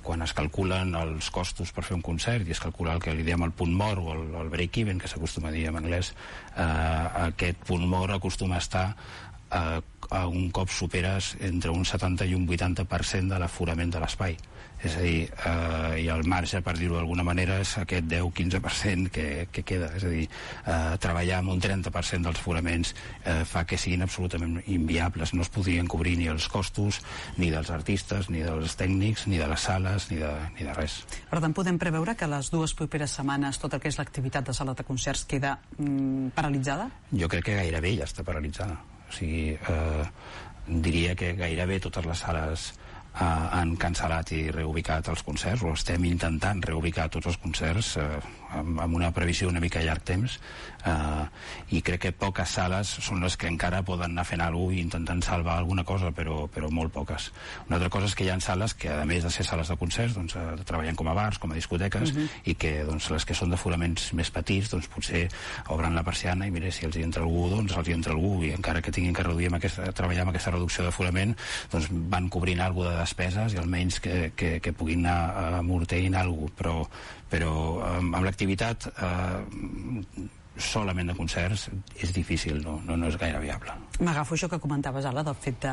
quan es calculen els costos per fer un concert i es calcula el que li diem el punt mort o el break-even, que s'acostuma a dir en anglès, aquest punt mort acostuma a estar a un cop superes entre un 70 i un 80% de l'aforament de l'espai. És a dir, i el marge, per dir-ho d'alguna manera, és aquest 10-15% que queda. És a dir, treballar amb un 30% dels foraments fa que siguin absolutament inviables. No es podrien cobrir ni els costos, ni dels artistes, ni dels tècnics, ni de les sales, ni de res. Per tant, podem preveure que les 2 properes setmanes tot el que és l'activitat de sala de concerts queda paralitzada? Jo crec que gairebé ja està paralitzada. O sigui, diria que gairebé totes les sales han cancel·lat i reubicat els concerts, o estem intentant reubicar tots els concerts amb una previsió una mica a llarg temps, i crec que poques sales són les que encara poden anar fent alguna cosa i intentant salvar alguna cosa, però molt poques. Una altra cosa és que hi ha sales que, a més de ser sales de concerts, doncs, treballen com a bars, com a discoteques, i que doncs, les que són de foraments més petits, doncs, potser obren la persiana i mira, si els hi entra algú, doncs els hi entra algú, i encara que tinguin que treballar amb aquesta reducció de forament, doncs van cobrint alguna cosa de despeses i almenys que puguin anar amortint alguna cosa, però amb l'activitat solament de concerts és difícil, no és gaire viable. M'agafo això que comentaves, Ala, del fet de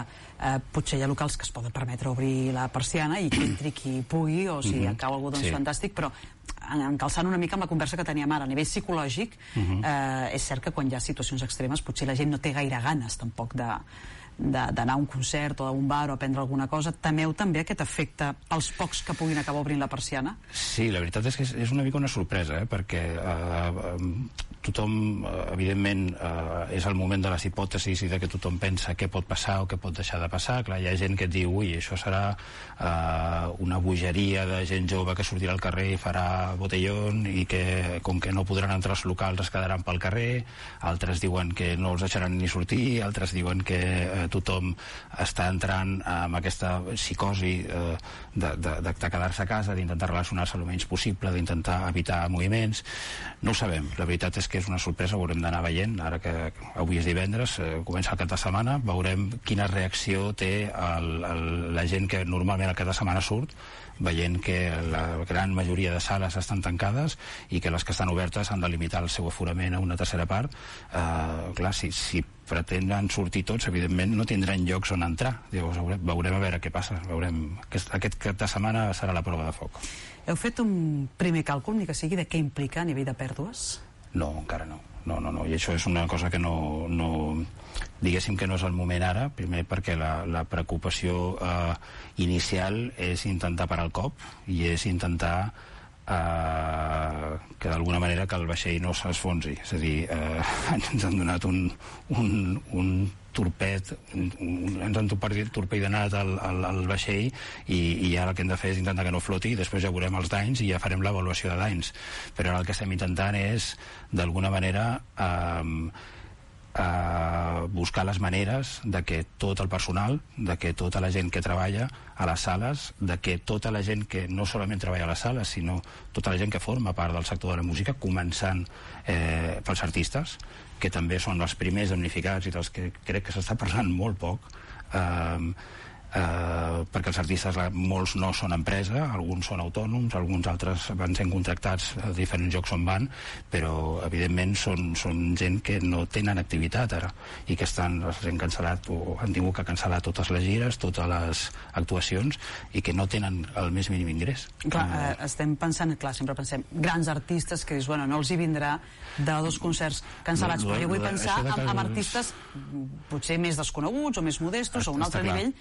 potser hi ha locals que es poden permetre obrir la persiana i que entri qui pugui, o si en cau algú, doncs fantàstic, però encalçant una mica amb la conversa que teníem ara, a nivell psicològic, és cert que quan hi ha situacions extremes potser la gent no té gaire ganes tampoc d'anar a un concert o a un bar o a prendre alguna cosa. Temeu també aquest efecte pels pocs que puguin acabar obrint la persiana? Sí, la veritat és que és una mica una sorpresa, perquè tothom, evidentment, és el moment de les hipòtesis i de que tothom pensa què pot passar o què pot deixar de passar. Clar, hi ha gent que et diu, ui, això serà una bogeria de gent jove que sortirà al carrer i farà botellón i que, com que no podran entrar als locals, es quedaran pel carrer. Altres diuen que no els deixaran ni sortir, altres diuen que tothom està entrant amb aquesta psicosi de quedar-se a casa, d'intentar relacionar-se el menys possible, d'intentar evitar moviments. No ho sabem, la veritat és que és una sorpresa, ho haurem d'anar veient, ara que avui és divendres, comença el cap de setmana, veurem quina reacció té la gent que normalment el cap de setmana surt, veient que la gran majoria de sales estan tancades i que les que estan obertes han de limitar el seu aforament a una tercera part. Clar, si pretenen sortir tots, evidentment no tindran llocs on entrar. Llavors veurem a veure què passa. Aquest cap de setmana serà la prova de foc. Heu fet un primer càlcul, ni que sigui, de què implica a nivell de pèrdues? No, encara no. No, i això és una cosa que diguéssim que no és el moment ara, primer perquè la preocupació inicial és intentar parar el cop i és intentar que d'alguna manera que el vaixell no s'esfonsi. És a dir, ens han donat un torped, ens han torpedenat el vaixell i ara el que hem de fer és intentar que no floti i després ja veurem els danys i ja farem l'avaluació de danys. Però ara el que estem intentant és, d'alguna manera, buscar les maneres de que tot el personal, de que tota la gent que treballa a les sales, de que tota la gent que no solament treballa a les sales, sinó tota la gent que forma part del sector de la música, començant pels artistes, que també són els primers damnificats i dels que crec que s'està parlant molt poc, perquè els artistes, molts no són empresa, alguns són autònoms, alguns altres van sent contractats a diferents llocs on van, però evidentment són gent que no tenen activitat ara i que han cancel·lat o han tingut que cancel·lar totes les gires, totes les actuacions i que no tenen el més mínim ingrés. Clar, estem pensant, sempre pensem grans artistes que dius, bueno, no els hi vindrà de 2 concerts cancel·lats, però jo vull pensar en artistes potser més desconeguts o més modestos o un altre nivell,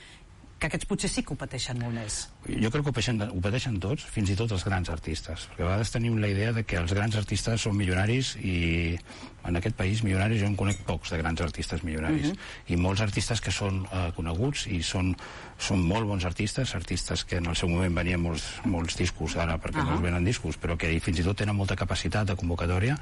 que aquests potser sí que ho pateixen molt més. Jo crec que ho pateixen tots, fins i tot els grans artistes, perquè a vegades tenim la idea de que els grans artistes són milionaris i en aquest país milionaris jo en conec pocs de grans artistes milionaris i molts artistes que són coneguts i són molt bons artistes que en el seu moment venien molts discos, ara perquè no es venen discos, però que fins i tot tenen molta capacitat de convocatòria.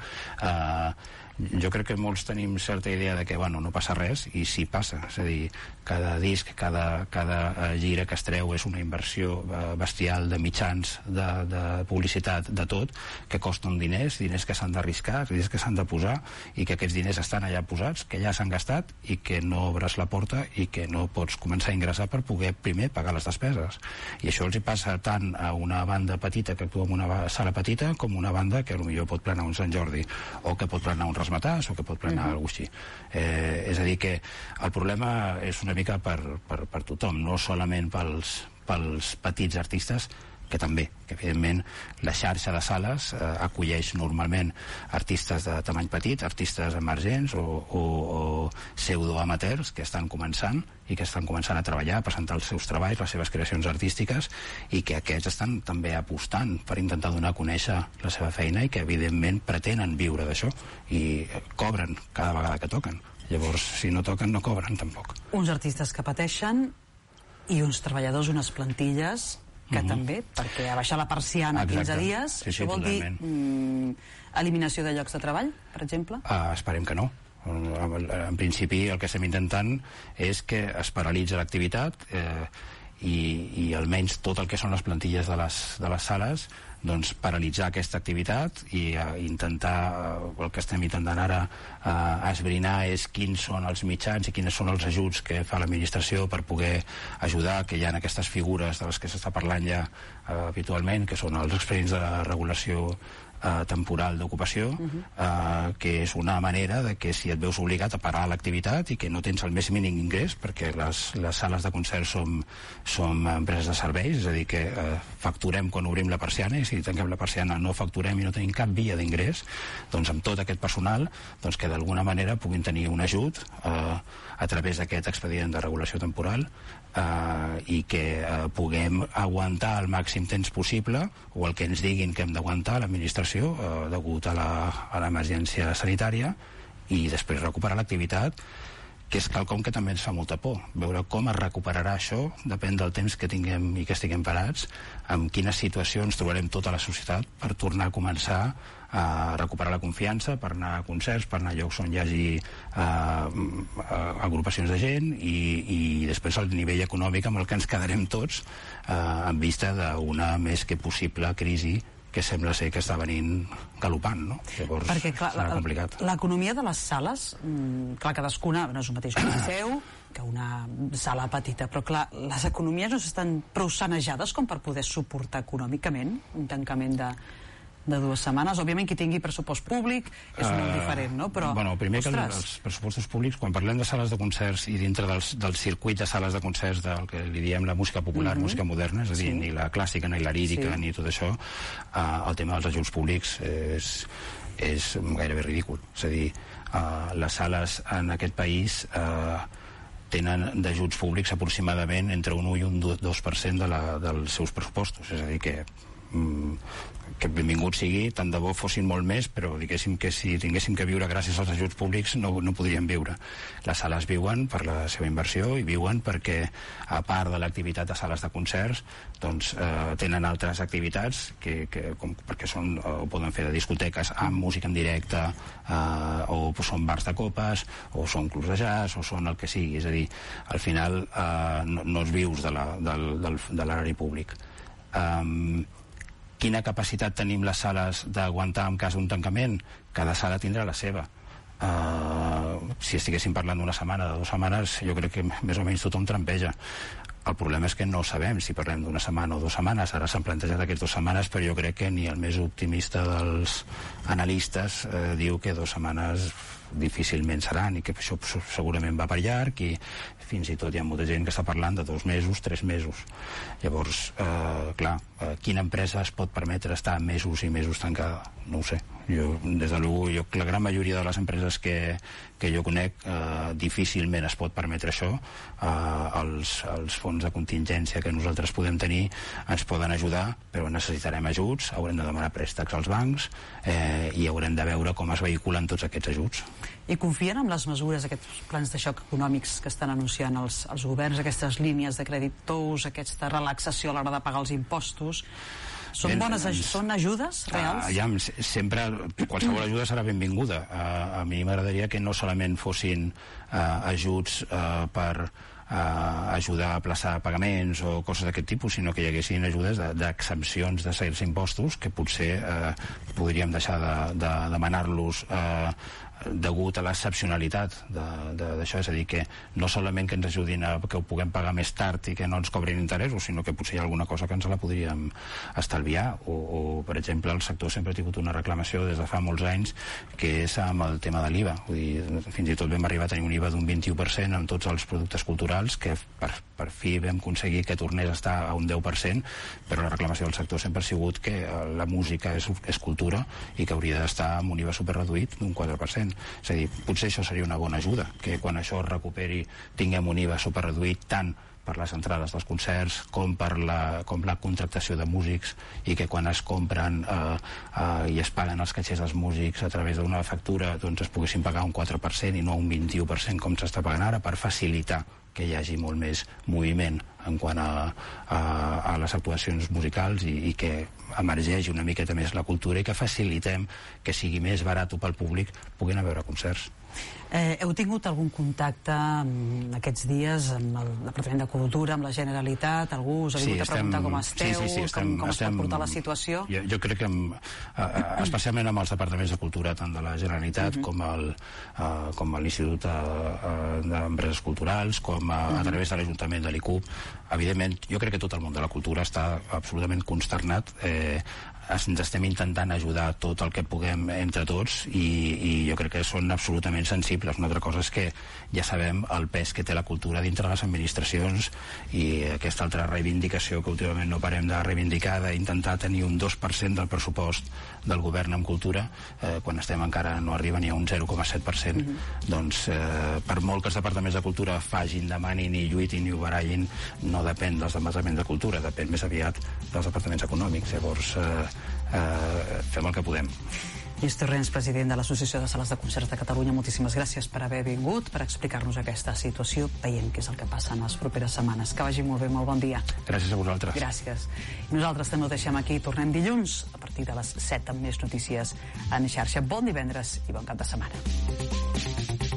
Jo crec que molts tenim certa idea de que no passa res, i sí passa, és a dir, cada disc, cada gira que es treu és una inversió bestial de mitjans, de publicitat, de tot, que costen diners que s'han d'arriscar, diners que s'han de posar, i que aquests diners estan allà posats, que ja s'han gastat i que no obres la porta i que no pots començar a ingressar per poder primer pagar les despeses. I això els hi passa tant a una banda petita que actua en una sala petita com una banda que potser pot planar un Sant Jordi, o que pot planar un Rasmatàs, o que pot planar alguna cosa així. És a dir, que el problema és una mica per tothom, no solament pels petits artistes, que també, que evidentment la xarxa de sales acolleix normalment artistes de tamany petit, artistes emergents o pseudoamateurs que estan començant i que estan començant a treballar, a presentar els seus treballs, les seves creacions artístiques, i que aquests estan també apostant per intentar donar a conèixer la seva feina i que evidentment pretenen viure d'això i cobren cada vegada que toquen. Llavors, si no toquen, no cobren tampoc. Uns artistes que pateixen i uns treballadors, unes plantilles que també, perquè a baixar la persiana 15 dies, això vol dir eliminació de llocs de treball, per exemple? Esperem que no. En principi el que estem intentant és que es paralitzi l'activitat i almenys tot el que són les plantilles de les sales, doncs paralitzar aquesta activitat i intentar, el que estem intentant ara esbrinar és quins són els mitjans i quins són els ajuts que fa l'administració per poder ajudar, que hi ha aquestes figures de les que s'està parlant ja habitualment, que són els expedients de regulació temporal d'ocupació, que és una manera de que si et veus obligat a parar l'activitat i que no tens el més mínim ingrés, perquè les sales de concert som empreses de serveis, és a dir, que facturem quan obrim la persiana, i si tanquem la persiana no facturem i no tenim cap via d'ingrés, doncs amb tot aquest personal que d'alguna manera puguin tenir un ajut a través d'aquest expedient de regulació temporal i que puguem aguantar el màxim temps possible, o el que ens diguin que hem d'aguantar l'administració degut a l'emergència sanitària, i després recuperar l'activitat, que és quelcom que també ens fa molta por. Veure com es recuperarà això depèn del temps que tinguem i que estiguem parats, en quines situacions trobarem tota la societat per tornar a començar a recuperar la confiança, per anar a concerts, per anar a llocs on hi hagi agrupacions de gent, i després el nivell econòmic amb el que ens quedarem tots en vista d'una més que possible crisi que sembla ser que està venint galopant, no? Llavors, perquè, clar, serà complicat. L'economia de les sales, clar, cadascuna no és el mateix que un liceu, que una sala petita, però clar, les economies no estan prou sanejades com per poder suportar econòmicament un tancament de 2 setmanes. Òbviament, qui tingui pressupost públic és molt diferent, no? Però, primer que els pressupostos públics, quan parlem de sales de concerts i dintre del circuit de sales de concerts del que li diem la música popular, música moderna, és a dir, ni la clàssica, ni la lírica, ni tot això, el tema dels ajuts públics és gairebé ridícul. És a dir, les sales en aquest país tenen d'ajuts públics aproximadament entre un 1 i un 2% dels seus pressupostos. És a dir, que benvingut sigui, tant de bo fossin molt més, però diguéssim que si tinguéssim que viure gràcies als ajuts públics no podríem viure. Les sales viuen per la seva inversió i viuen perquè, a part de l'activitat de sales de concerts, doncs tenen altres activitats perquè poden fer de discoteques amb música en directe, o són bars de copes, o són clubs de jazz, o són el que sigui. És a dir, al final no es vius de l'erari públic. Quina capacitat tenim les sales d'aguantar en cas d'un tancament? Cada sala tindrà la seva. Si estiguéssim parlant d'una setmana, de 2 setmanes, jo crec que més o menys tothom trampeja. El problema és que no sabem si parlem d'una setmana o 2 setmanes. Ara s'han plantejat aquestes 2 setmanes, però jo crec que ni el més optimista dels analistes diu que 2 setmanes difícilment seran, i que això segurament va per llarg, i fins i tot hi ha molta gent que està parlant de 2 mesos, 3 mesos. Llavors, clar, quina empresa es pot permetre estar mesos i mesos tancada? No ho sé. Des de luego, la gran majoria de les empreses que jo conec difícilment es pot permetre això. Els fons de contingència que nosaltres podem tenir ens poden ajudar, però necessitarem ajuts, haurem de demanar préstecs als bancs i haurem de veure com es vehiculen tots aquests ajuts. I confien en les mesures, aquests plans de xoc econòmics que estan anunciant els governs, aquestes línies de crèdit tous, aquesta relaxació a l'hora de pagar els impostos? Són ajudes reals? Sempre qualsevol ajuda serà benvinguda. A mi m'agradaria que no solament fossin ajuts per ajudar a aplaçar pagaments o coses d'aquest tipus, sinó que hi haguessin ajudes d'exempcions de certs impostos que potser podríem deixar de demanar-los degut a l'excepcionalitat d'això, és a dir, que no solament que ens ajudin a que ho puguem pagar més tard i que no ens cobrin interessos, sinó que potser hi ha alguna cosa que ens la podríem estalviar, o per exemple el sector sempre ha tingut una reclamació des de fa molts anys que és amb el tema de l'IVA, vull dir, fins i tot vam arribar a tenir un IVA d'un 21% en tots els productes culturals, que per fi vam aconseguir que tornés a estar a un 10%, però la reclamació del sector sempre ha sigut que la música és cultura i que hauria d'estar amb un IVA superreduït d'un 4%. És a dir, potser això seria una bona ajuda, que quan això es recuperi tinguem un IVA superreduït tant per les entrades dels concerts com per la contractació de músics, i que quan es compren i es paguen els catxers dels músics a través d'una factura, doncs es poguessin pagar un 4% i no un 21% com s'està pagant ara, per facilitar que hi hagi molt més moviment en quant a les actuacions musicals i que emergeixi una miqueta més la cultura i que facilitem que sigui més barat pel públic poder anar a veure concerts. Heu tingut algun contacte aquests dies amb el Departament de Cultura, amb la Generalitat? Algú us ha vingut a preguntar com esteu, com es pot portar la situació? Jo crec que especialment amb els departaments de cultura, tant de la Generalitat com l'Institut d'Empreses Culturals, com a través de l'Ajuntament de l'ICUP, evidentment jo crec que tot el món de la cultura està absolutament consternat. Ens estem intentant ajudar tot el que puguem entre tots i jo crec que són absolutament sensibles. Una altra cosa és que ja sabem el pes que té la cultura dintre de les administracions i aquesta altra reivindicació que últimament no parem de reivindicar, d'intentar tenir un 2% del pressupost del govern en cultura, quan estem encara no arriba ni a un 0,7%. Doncs per molt que els departaments de cultura facin, demanin i lluitin i ho barallin, no depèn dels departaments de cultura, depèn més aviat dels departaments econòmics. Llavors fem el que podem. Lluís Torrents, president de l'Associació de Sales de Concerts de Catalunya, moltíssimes gràcies per haver vingut, per explicar-nos aquesta situació. Veiem què és el que passa en les properes setmanes. Que vagi molt bé, molt bon dia. Gràcies a vosaltres. Gràcies. Nosaltres també ho deixem aquí. Tornem dilluns a partir de les 7 amb més notícies en xarxa. Bon divendres i bon cap de setmana.